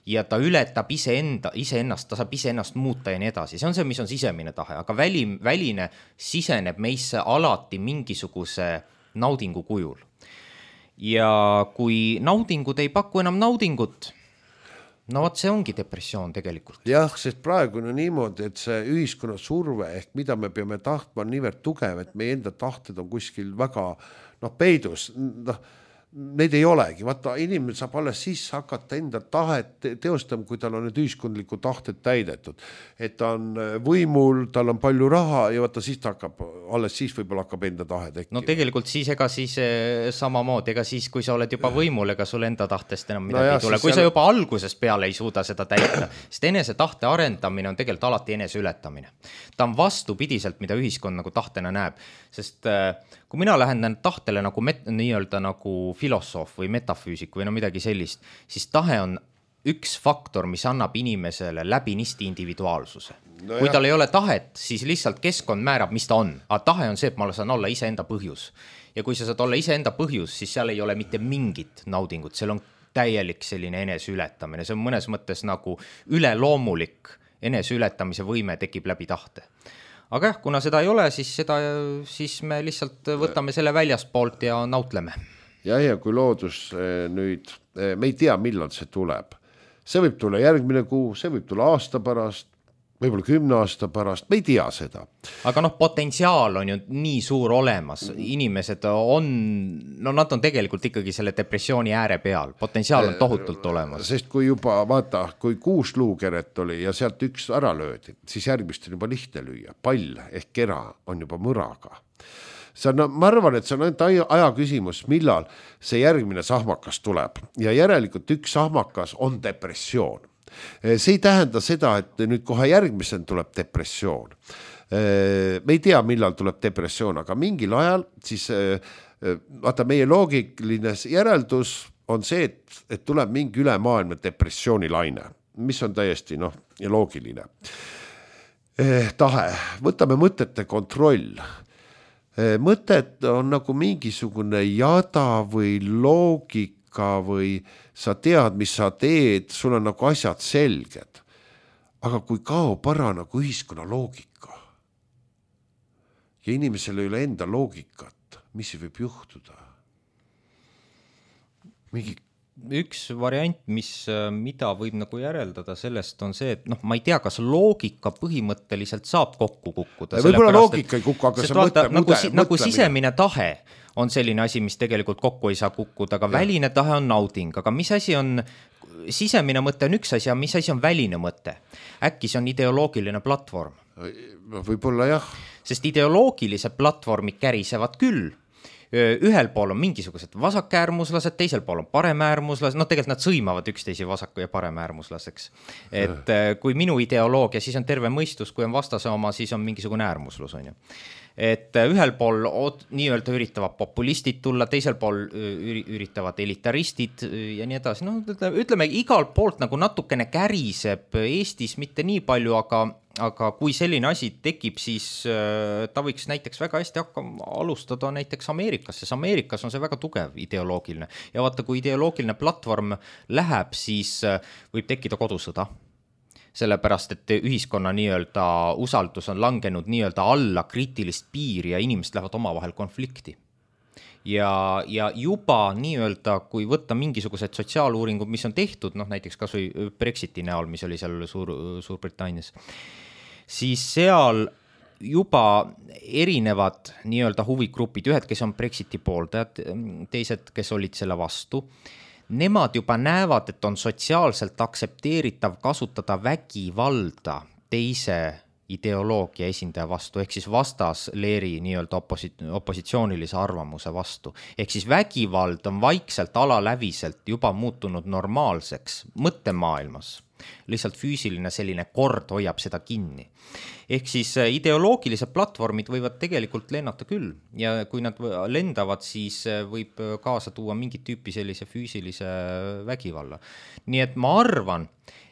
ja ta ületab iseenda, iseennast, ta saab iseennast muuta ja nii edasi. See on see, mis on sisemine tahe, aga väli, väline siseneb meisse alati mingisuguse naudingu kujul. Ja kui naudingud ei paku enam naudingut, no vot see ongi depressioon tegelikult. Jah, sest praegu on niimoodi, et see ühiskonna surve ehk mida me peame tahtma on niivõrd tugev, et meie enda tahted on kuskil väga noh, peidus, noh, neid ei olegi. Vaata, inimene saab alles siis hakata enda tahet teostama, kui tal on need ühiskondlikud tahted täidetud. Et ta on võimul, tal on palju raha ja vaata, siis ta hakkab, alles siis võib-olla hakkab enda tahe tekkima. No tegelikult siis, ega siis samamoodi, ega siis, kui sa oled juba võimul, ega sul enda tahtest enam midagi no jah, ei tule. Kui seal... sa juba alguses peale ei suuda seda täita, sest enese tahte arendamine on tegelikult alati enese ületamine. Ta on vastupidiselt, mida ühiskond nagu tahtena näeb, sest kui mina lähen tahtele nagu met, nii-öelda nagu filosoof või metafüüsik või no midagi sellist, siis tahe on üks faktor, mis annab inimesele läbinisti individuaalsuse. No kui tal ei ole tahet, siis lihtsalt keskkond määrab, mis ta on. Aga tahe on see, et ma saan olla iseenda põhjus. Ja kui sa saad olla iseenda põhjus, siis seal ei ole mitte mingit naudingut. Seal on täielik selline enese ületamine. See on mõnes mõttes nagu üleloomulik enese ületamise võime tekib läbi tahte. Aga jah, kuna seda ei ole, siis, seda, siis me lihtsalt võtame selle väljaspoolt ja nautleme. Ja, ja kui loodus nüüd, me ei tea, millal see tuleb. See võib tulla järgmine kuu, see võib tulla aasta pärast, võib-olla kümne aasta pärast, me ei tea seda. Aga noh, potentsiaal on ju nii suur olemas. Inimesed on, no nad on tegelikult ikkagi selle depressiooni ääre peal. Potentsiaal on tohutult olemas. Sest kui juba, vaata, kui kuus luukeret oli ja sealt üks ära löödi, siis järgmist on juba lihtne lüüa. Pall ehk kera on juba mõraga. See on, ma arvan, et see on ainult aja küsimus, millal see järgmine sahmakas tuleb. Ja järelikult üks sahmakas on depressioon. See ei tähenda seda, et nüüd kohe järgmisel tuleb depressioon. Me ei tea, millal tuleb depressioon, aga mingil ajal siis vaata, meie loogiline järeldus on see, et, et tuleb mingi ülemaailmne depressioonilaine, mis on täiesti noh, loogiline. Tahe, võtame mõtete kontroll. Mõtted on nagu mingisugune jada või loogika või sa tead, mis sa teed, sul on nagu asjad selged. Aga kui kaob ära nagu ühiskonna loogika ja inimesel ei ole enda loogikat, mis võib juhtuda? Mingi üks variant, mis, mida võib nagu järeldada sellest on see, et noh, ma ei tea, kas loogika põhimõtteliselt saab kokku kukkuda. Võib-olla loogika ei kukku, aga see vaata, mõte, nagu, mude, nagu sisemine tahe on selline asi, mis tegelikult kokku ei saa kukkuda, aga ja. Väline tahe on nauding, aga mis asi on, sisemine mõte on üks asi, ja mis asi on väline mõte? Äkki see on ideoloogiline platvorm? Võib-olla jah. Sest ideoloogilised platvormid kärisevad küll, ühel pool on mingisugused vasakäärmuslased, teisel pool on paremäärmuslased, no tegelikult nad sõimavad üksteisi vasaku ja paremäärmuslaseks. Et kui minu ideoloogia, siis on terve mõistus, kui on vastase oma, siis on mingisugune äärmuslus, on ju. Et ühel pool nii-öelda üritavad populistid tulla, teisel pool üritavad elitaristid ja nii edasi. No, ütleme, igal poolt nagu natukene käriseb Eestis mitte nii palju, aga, aga kui selline asi tekib, siis ta võiks näiteks väga hästi hakkama alustada näiteks Ameerikas, sest Ameerikas on see väga tugev ideoloogiline. Ja vaata, kui ideoloogiline platvorm läheb, siis võib tekkida kodusõda. Sellepärast, et ühiskonna nii-öelda usaldus on langenud nii-öelda alla kriitilist piiri ja inimesed lähevad omavahel konflikti. Ja, ja juba nii-öelda, kui võtta mingisugused sotsiaaluuringud, mis on tehtud, noh näiteks kas või Brexiti näol, mis oli seal Suur, Suurbritannias, siis seal juba erinevad nii-öelda huvigrupid, ühed, kes on Brexiti pooldajad, teised, kes olid selle vastu, nemad juba näevad, et on sotsiaalselt aksepteeritav kasutada vägivalda teise ideoloogia esindaja vastu, ehk siis vastasleeri nii-öelda oposi- opositsioonilise arvamuse vastu. Ehk siis vägivald on vaikselt alaläviselt juba muutunud normaalseks mõttemaailmas. Lihtsalt füüsiline selline kord hoiab seda kinni. Ehk siis ideoloogilised platvormid võivad tegelikult lennata küll ja kui nad lendavad, siis võib kaasa tuua mingit tüüpi sellise füüsilise vägivalla. Nii et ma arvan,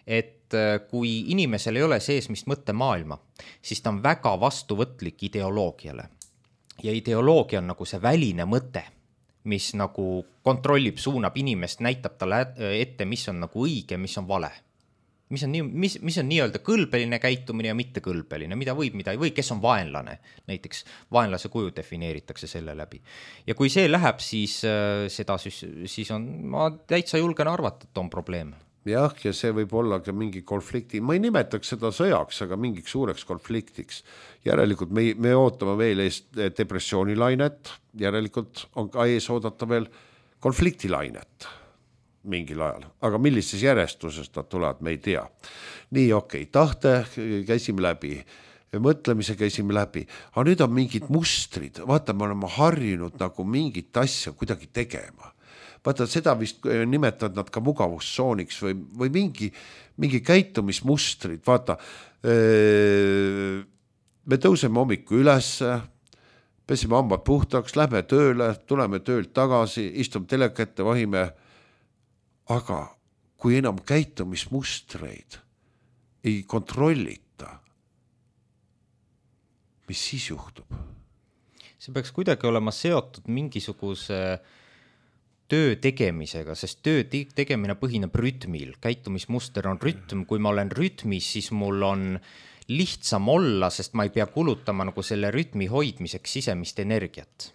et kui inimesel ei ole seesmist mõttemaailma, siis ta on väga vastuvõtlik ideoloogiale. Ja ideoloogia on nagu see väline mõte, mis nagu kontrollib, suunab inimest, näitab talle ette, mis on nagu õige, mis on vale. Mis on, nii, mis, mis on nii-öelda kõlbeline käitumine ja mitte kõlbeline, mida võib, mida ei või, kes on vaenlane. Näiteks vaenlase kuju defineeritakse selle läbi. Ja kui see läheb, siis, seda, siis on, ma täitsa julgen arvata, et on probleem. Jah, ja see võib olla ka mingi konflikti, ma ei nimetaks seda sõjaks, aga mingiks suureks konfliktiks. Järelikult me, me ootame veel eest depressioonilainet, järelikult on ka ees oodata veel konfliktilainet mingil ajal, aga millises järjestusest nad tulevad, me ei tea. Nii, okei, tahte käisime läbi, mõtlemise käisime läbi, aga nüüd on mingid mustrid, vaata, me oleme harjunud nagu mingit asja kuidagi tegema. Vaata, seda vist nimetavad nad ka mugavustsooniks või, või mingi, mingi käitumismustrid, vaata, me tõuseme hommiku üles, pesime hambad puhtaks, lähme tööle, tuleme töölt tagasi, istume telekette, vahime. Aga kui enam käitumismustreid ei kontrollita, mis siis juhtub? See peaks kuidagi olema seotud mingisuguse töö tegemisega, sest töö tegemine põhineb rütmil. Käitumismuster on rütm, kui ma olen rütmis, siis mul on lihtsam olla, sest ma ei pea kulutama nagu selle rütmi hoidmiseks sisemist energiat.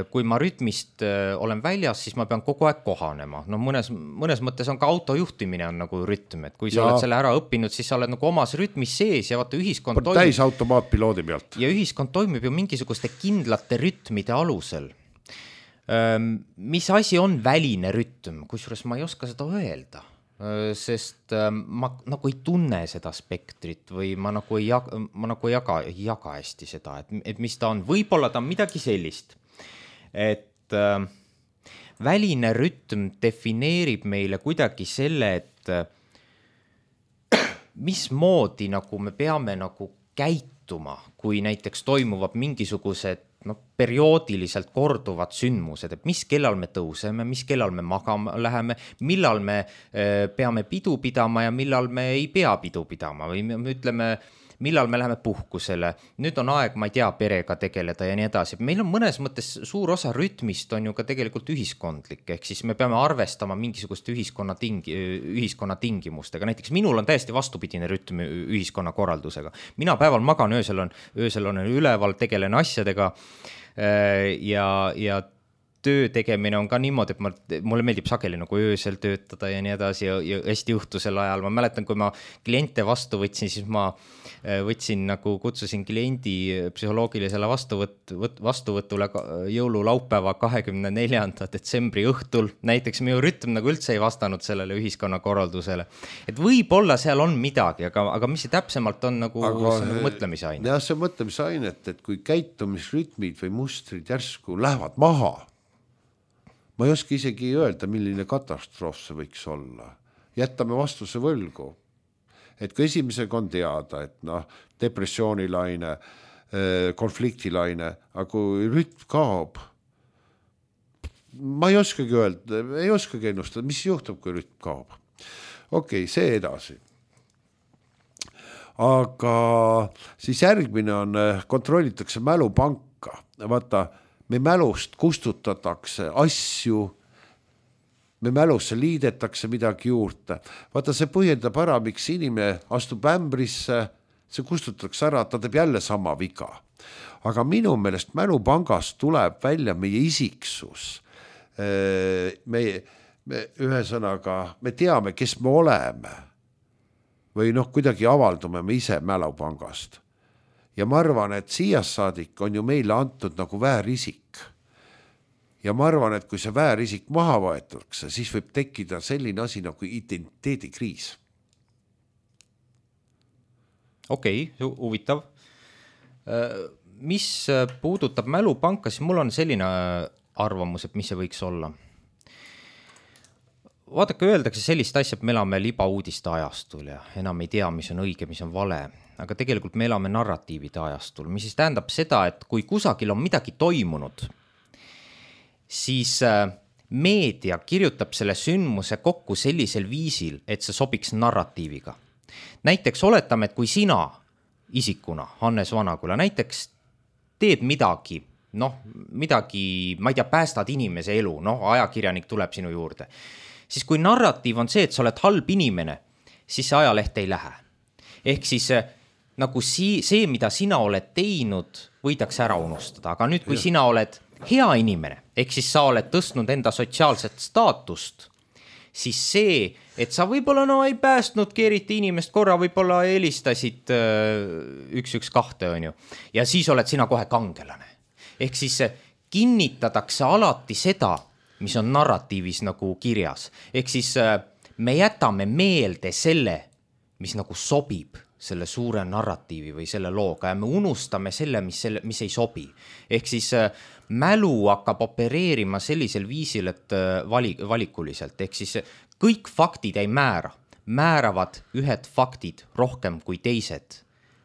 Kui ma rütmist olen väljas, siis ma pean kogu aeg kohanema. No mõnes, mõnes mõttes on ka autojuhtimine on nagu rütm, et kui sa ja. oled selle ära õppinud, siis sa oled nagu omas rütmis sees ja vaata ühiskond toimib. Täis automaatpiloodi pealt. Ja ühiskond toimib ju mingisuguste kindlate rütmide alusel. Mis asi on väline rütm, kusjuures ma ei oska seda öelda, sest ma nagu ei tunne seda spektrit või ma nagu ei jaga, ma nagu ei jaga, ei jaga hästi seda, et, et mis ta on. Võib-olla ta on midagi sellist. Et äh, väline rütm defineerib meile kuidagi selle, et äh, mismoodi nagu me peame nagu käituma, kui näiteks toimuvad mingisugused no, perioodiliselt korduvad sündmused, et mis kellal me tõuseme, mis kellal me magama läheme, millal me äh, peame pidu pidama ja millal me ei pea pidu pidama või me ütleme, millal me läheme puhkusele, nüüd on aeg, ma ei tea, perega tegeleda ja nii edasi. Meil on mõnes mõttes suur osa rütmist on ju ka tegelikult ühiskondlik, ehk siis me peame arvestama mingisuguste ühiskonna, tingi, ühiskonna tingimustega. Näiteks minul on täiesti vastupidine rütm ühiskonna korraldusega. Mina päeval magan, öösel on, öösel on üleval, tegelen asjadega ja, ja töö tegemine on ka niimoodi, et ma, mulle meeldib sageli nagu öösel töötada ja nii edasi ja, ja hästi õhtusel ajal. Ma mäletan, kui ma kliente vastu võtsin, siis ma võtsin nagu, kutsusin kliendi psühholoogilisele vastuvõt, vastuvõtule jõululaupäeva kahekümne neljanda detsembri õhtul. Näiteks minu rütm nagu üldse ei vastanud sellele ühiskonnakorraldusele. Et võib-olla seal on midagi, aga, aga mis see täpsemalt on nagu, aga, nagu mõtlemisaine? Jah, see mõtlemisaine, et, et kui käitumisrütmid või mustrid järsku lähevad maha, ma ei oska isegi öelda, milline katastroof see võiks olla. Jätame vastuse võlgu. Et kui esimesega on teada, et noh, depressioonilaine, konfliktilaine, aga kui rütm kaob, ma ei oskagi öelda, ei oskagi ennustada, mis juhtub, kui rütm kaob. Okei, see edasi. Aga siis järgmine on, kontrollitakse mälupanka. Vaata, me mälust kustutatakse asju, me mälusse liidetakse midagi juurde. Vaata, see põhjendab ära, miks inimene astub ämbrisse, see kustutatakse ära, ta teeb jälle sama viga. Aga minu meelest mälupangast tuleb välja meie isiksus. Me, me ühesõnaga, me teame, kes me oleme. Või noh, kuidagi avaldume me ise mälupangast. Ja ma arvan, et siia saadik on ju meile antud nagu väärisik. Ja ma arvan, et kui see väärisik maha võetakse, siis võib tekkida selline asi nagu identiteedikriis. Okei, okay, huvitav. Mis puudutab mälupanka, siis mul on selline arvamus, et mis see võiks olla. Vaadake, öeldakse sellist asja, et me elame libauudiste ajastul ja enam ei tea, mis on õige, mis on vale. Aga tegelikult me elame narratiivide ajastul, mis siis tähendab seda, et kui kusagil on midagi toimunud, siis meedia kirjutab selle sündmuse kokku sellisel viisil, et see sobiks narratiiviga. Näiteks oletame, et kui sina isikuna, Hannes Vanaküla, näiteks teed midagi, noh, midagi, ma ei tea, päästad inimese elu, noh, ajakirjanik tuleb sinu juurde, siis kui narratiiv on see, et sa oled halb inimene, siis see ajaleht ei lähe. Ehk siis nagu see, see, mida sina oled teinud, võidakse ära unustada. Aga nüüd, kui ja. Sina oled hea inimene, ehk siis sa oled tõstnud enda sotsiaalset staatust, siis see, et sa võib-olla no ei päästnudki eriti inimest korra, võib-olla helistasid üks üks kahte, on ju, ja siis oled sina kohe kangelane. Ehk siis kinnitatakse alati seda, mis on narratiivis nagu kirjas. Ehk siis me jätame meelde selle, mis nagu sobib selle suure narratiivi või selle looga ja me unustame selle, mis, selle, mis ei sobi. Ehk siis mälu hakkab opereerima sellisel viisil, et vali, valikuliselt. Ehk siis kõik faktid ei määra. Määravad ühed faktid rohkem kui teised.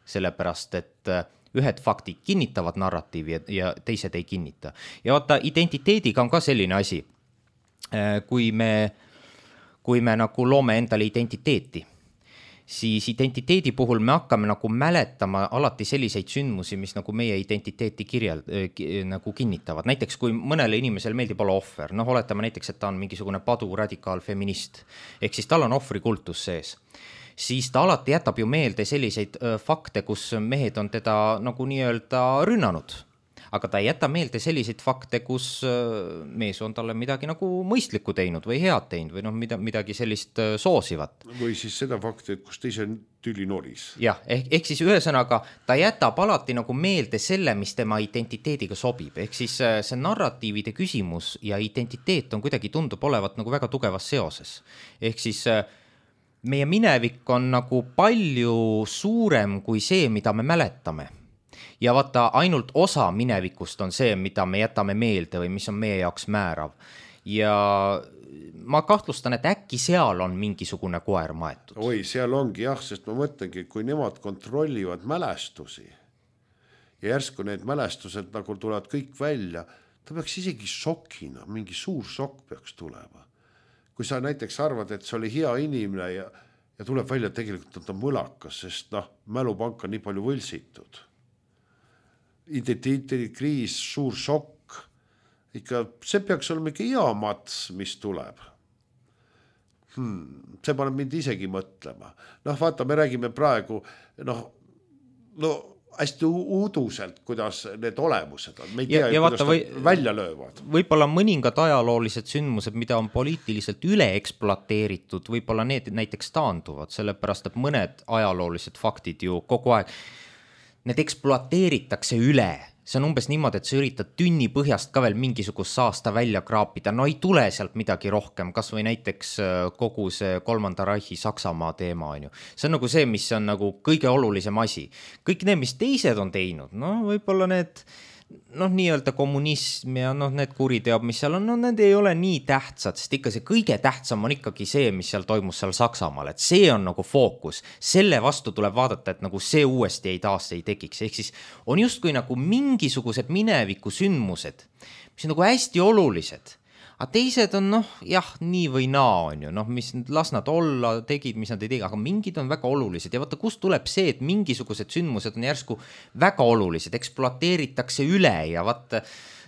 Sellepärast, et ühed faktid kinnitavad narratiivi ja teised ei kinnita. Ja vaata, identiteediga on ka selline asi. Kui me, kui me nagu loome endale identiteeti, siis identiteedi puhul me hakkame nagu mäletama alati selliseid sündmusi, mis nagu meie identiteeti kirjal, nagu kinnitavad. Näiteks, kui mõnele inimesel meeldib olla ohver, noh, oletame näiteks, et ta on mingisugune padu radikaal feminist, ehk siis tal on ohvrikultus sees, siis ta alati jätab ju meelde selliseid fakte, kus mehed on teda nagu nii-öelda rünnanud. Aga ta ei jäta meelde selliseid fakte, kus mees on talle midagi nagu mõistlikku teinud või head teinud või noh, midagi sellist soosivat. Või siis seda fakti, et kus teise tüli noris. Jah, ehk, ehk siis ühesõnaga ta jätab alati nagu meelde selle, mis tema identiteediga sobib. Ehk siis see narratiivide küsimus ja identiteet on kuidagi tundub olevat nagu väga tugevas seoses. Ehk siis meie minevik on nagu palju suurem kui see, mida me mäletame. Ja vaata, ainult osa minevikust on see, mida me jätame meelde või mis on meie jaoks määrav. Ja ma kahtlustan, et äkki seal on mingisugune koer maetud. Oi, seal ongi jah, sest ma mõtlengi, kui nemad kontrollivad mälestusi ja järsku need mälestused nagu tulevad kõik välja, ta peaks isegi šokina, mingi suur šokk peaks tulema. Kui sa näiteks arvad, et see oli hea inimene ja, ja tuleb välja tegelikult, et ta on mõlakas, sest noh, mälupank on nii palju võlsitud. Identiteedikriis, suur šokk, ikka see peaks olema ikka hea mats, mis tuleb. Hmm, see paneb mind isegi mõtlema. Noh, vaata, me räägime praegu, noh, no hästi uuduselt, kuidas need olemused on. Me ei tea, ja, ja kuidas vaata, või, välja löövad. Võib-olla mõningad ajaloolised sündmused, mida on poliitiliselt üle ekspluateeritud, võib-olla need näiteks taanduvad, sellepärast, et mõned ajaloolised faktid ju kogu aeg, need ekspluateeritakse üle. See on umbes niimoodi, et sa üritad tünni põhjast ka veel mingisugust saasta välja kraapida, no ei tule sealt midagi rohkem, kas või näiteks kogu see kolmanda Reichi Saksamaa teema on ju. See on nagu see, mis on nagu kõige olulisem asi. Kõik need, mis teised on teinud, no võib-olla need, noh, nii-öelda kommunism ja noh, need kuriteod, mis seal on, no need ei ole nii tähtsad, sest ikka see kõige tähtsam on ikkagi see, mis seal toimus seal Saksamaal, et see on nagu fookus. Selle vastu tuleb vaadata, et nagu see uuesti ei taas ei tekiks. Ehk siis on justkui nagu mingisugused mineviku sündmused, mis on nagu hästi olulised. Aga teised on noh, jah, nii või naa on ju, noh, mis las nad olla, tegid, mis nad ei tegi, aga mingid on väga olulised ja vaata, kust tuleb see, et mingisugused sündmused on järsku väga olulised, ekspluateeritakse üle ja vaata,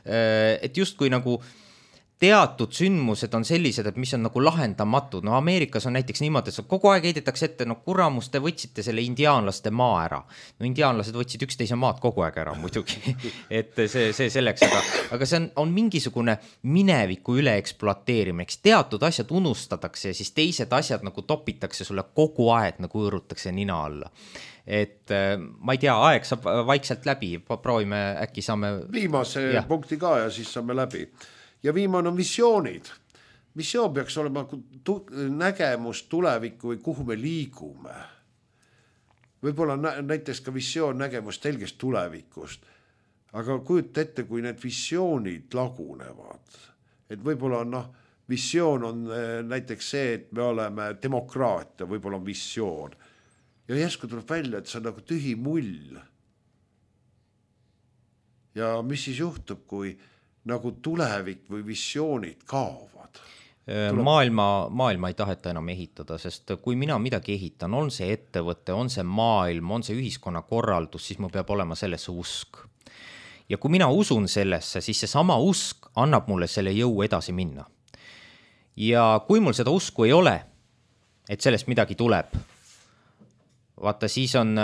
et justkui nagu teatud sündmused on sellised, et mis on nagu lahendamatud. No Ameerikas on näiteks niimoodi, et kogu aeg heidetakse ette, no kuramus, te võtsite selle indiaanlaste maa ära. No indiaanlased võtsid üksteise maad kogu aeg ära muidugi, et see, see selleks, aga, aga see on, on mingisugune mineviku üle ekspluateerimine, teatud asjad unustatakse ja siis teised asjad nagu topitakse sulle kogu aeg, nagu õõrutakse nina alla. Et ma ei tea, aeg saab vaikselt läbi, proovime, äkki saame viimase ja. punkti ka ja siis saame läbi. Ja viimane on visioonid. Visioon peaks olema tu- nägemus tulevikku või kuhu me liigume. Võib-olla nä- näiteks ka visioon nägemus telgest tulevikust. Aga kujuta ette, kui need visioonid lagunevad. Et võib-olla on, noh, visioon on näiteks see, et me oleme demokraatia, võib-olla on visioon. Ja järsku tuleb välja, et see on nagu tühi mull. Ja mis siis juhtub, kui nagu tulevik või visioonid kaovad? Maailma, maailma ei taheta enam ehitada, sest kui mina midagi ehitan, on see ettevõte, on see maailm, on see ühiskonna korraldus, siis mul peab olema sellesse usk. Ja kui mina usun sellesse, siis see sama usk annab mulle selle jõu edasi minna. Ja kui mul seda usku ei ole, et sellest midagi tuleb, vaata, siis on,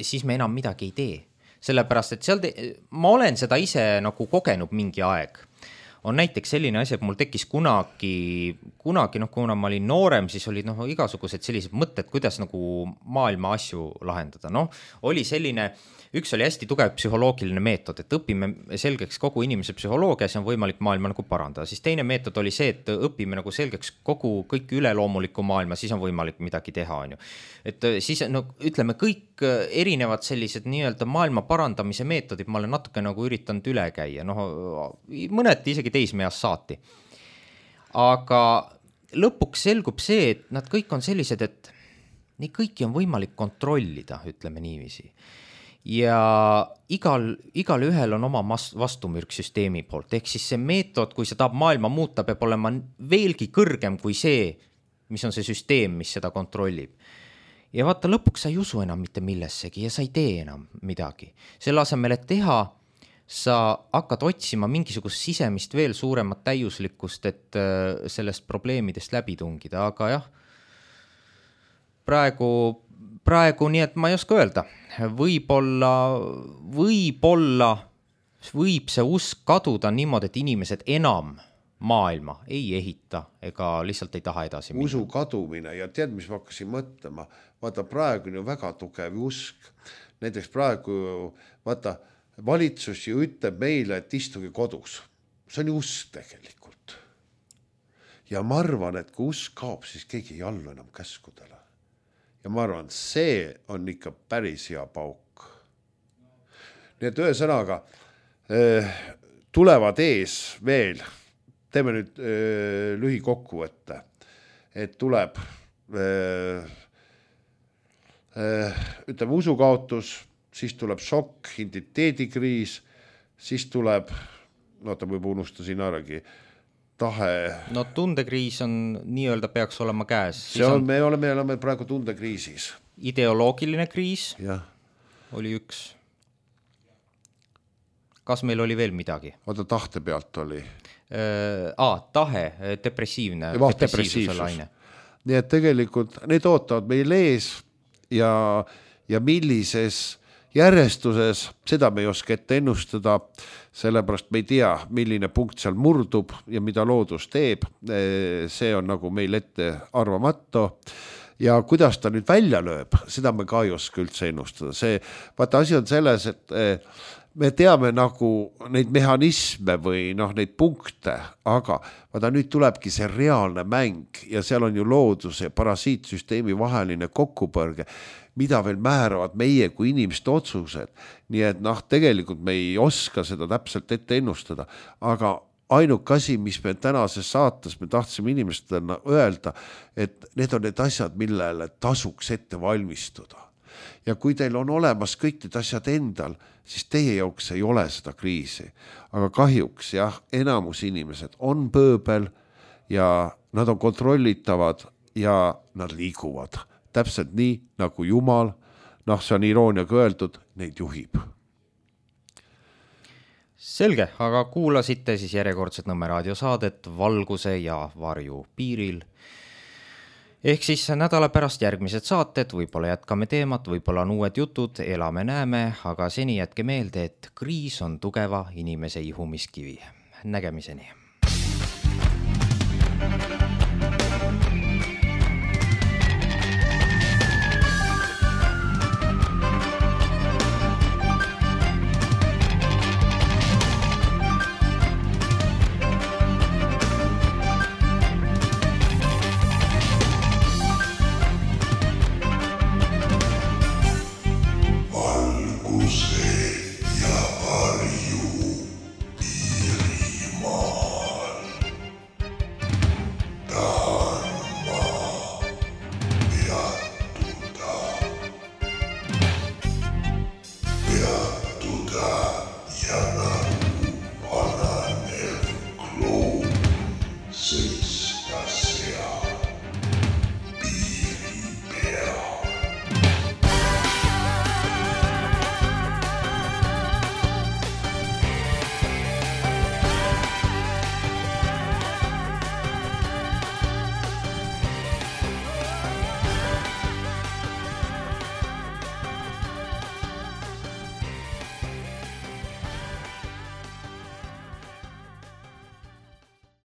siis me enam midagi ei tee. Sellepärast, et seal te, ma olen seda ise nagu kogenud mingi aeg. On näiteks selline asi, et mul tekkis kunagi, kunagi, noh, kuna ma olin noorem, siis olid noh, igasugused sellised mõtted, kuidas nagu maailma asju lahendada. Noh, oli selline, üks oli hästi tugev psühholoogiline meetod, et õpime selgeks kogu inimese psühholoogia, see on võimalik maailma nagu parandada. Siis teine meetod oli see, et õpime nagu selgeks kogu kõik üleloomuliku maailma, siis on võimalik midagi teha, on ju. Et siis, no, ütleme, kõik erinevad sellised nii-öelda maailma parandamise meetodid, ma olen natuke nagu üritanud üle käia, noh, mõned isegi teismeast saati. Aga lõpuks selgub see, et nad kõik on sellised, et nii kõiki on võimalik kontrollida, ütleme niiviisi. Ja igal, igal ühel on oma vastumürk süsteemi poolt, ehk siis see meetod, kui see tahab maailma muuta, peab olema veelgi kõrgem kui see, mis on see süsteem, mis seda kontrollib. Ja vaata, lõpuks sa ei usu enam mitte millessegi ja sa ei tee enam midagi. Selle asemel, et teha, sa hakkad otsima mingisugust sisemist veel suuremat täiuslikkust, et sellest probleemidest läbi tungida, aga jah, praegu, praegu nii, et ma ei oska öelda, võib-olla, võib-olla võib see usk kaduda niimoodi, et inimesed enam maailma ei ehita ega lihtsalt ei taha edasi minna. Usu kadumine ja tead, mis ma hakkasin mõtlema, vaata praegu on ju väga tugev usk. Näiteks praegu, vaata, valitsus ju ütleb meile, et istuge kodus. See on ju usk tegelikult. Ja ma arvan, et kui usk kaob, siis keegi ei allu enam käskudele. Ja ma arvan, see on ikka päris hea pauk. Nii et ühe sõnaga tulevad ees veel, teeme nüüd öö, lühikokkuvõtte, et tuleb öö, öö, ütleme usukaotus, siis tuleb šokk, identiteedikriis, siis tuleb, no ta võib unustasin äragi, tahe. No tundekriis on nii-öelda peaks olema käes. See on, me oleme, me oleme praegu tundekriisis. Ideoloogiline kriis ja. Oli üks. Kas meil oli veel midagi? Oota, tahte pealt oli. Äh, ah, tahe, depressiivne. Ja, depressiivsus. Nii et tegelikult need ootavad meil ees ja, ja millises järjestuses, seda me ei oska ette ennustada, sellepärast me ei tea, milline punkt seal murdub ja mida loodus teeb, see on nagu meil ette arvamatu ja kuidas ta nüüd välja lööb, seda me ka ei oska üldse ennustada. See, vaata asi on selles, et me teame nagu neid mehhanisme või noh, neid punkte, aga vaata nüüd tulebki see reaalne mäng ja seal on ju looduse ja parasiitsüsteemi vaheline kokkupõrge, mida veel määravad meie kui inimeste otsused. Nii et noh, tegelikult me ei oska seda täpselt ette ennustada, aga ainuke asi, mis me tänases saates me tahtsime inimestena öelda, et need on need asjad, millele tasuks ette valmistuda. Ja kui teil on olemas kõik need asjad endal, siis teie jaoks ei ole seda kriisi. Aga kahjuks jah, enamus inimesed on pööbel ja nad on kontrollitavad ja nad liiguvad. Täpselt nii, nagu Jumal, noh, see on irooniaga öeldud, neid juhib. Selge, aga kuulasite siis järjekordset Nõmme raadiosaadet Valguse ja varju piiril. Ehk siis nädala pärast järgmised saated, võib-olla jätkame teemat, võib-olla on uued jutud, elame näeme, aga seni jätke meelde, et kriis on tugeva inimese ihumiskivi. Nägemiseni.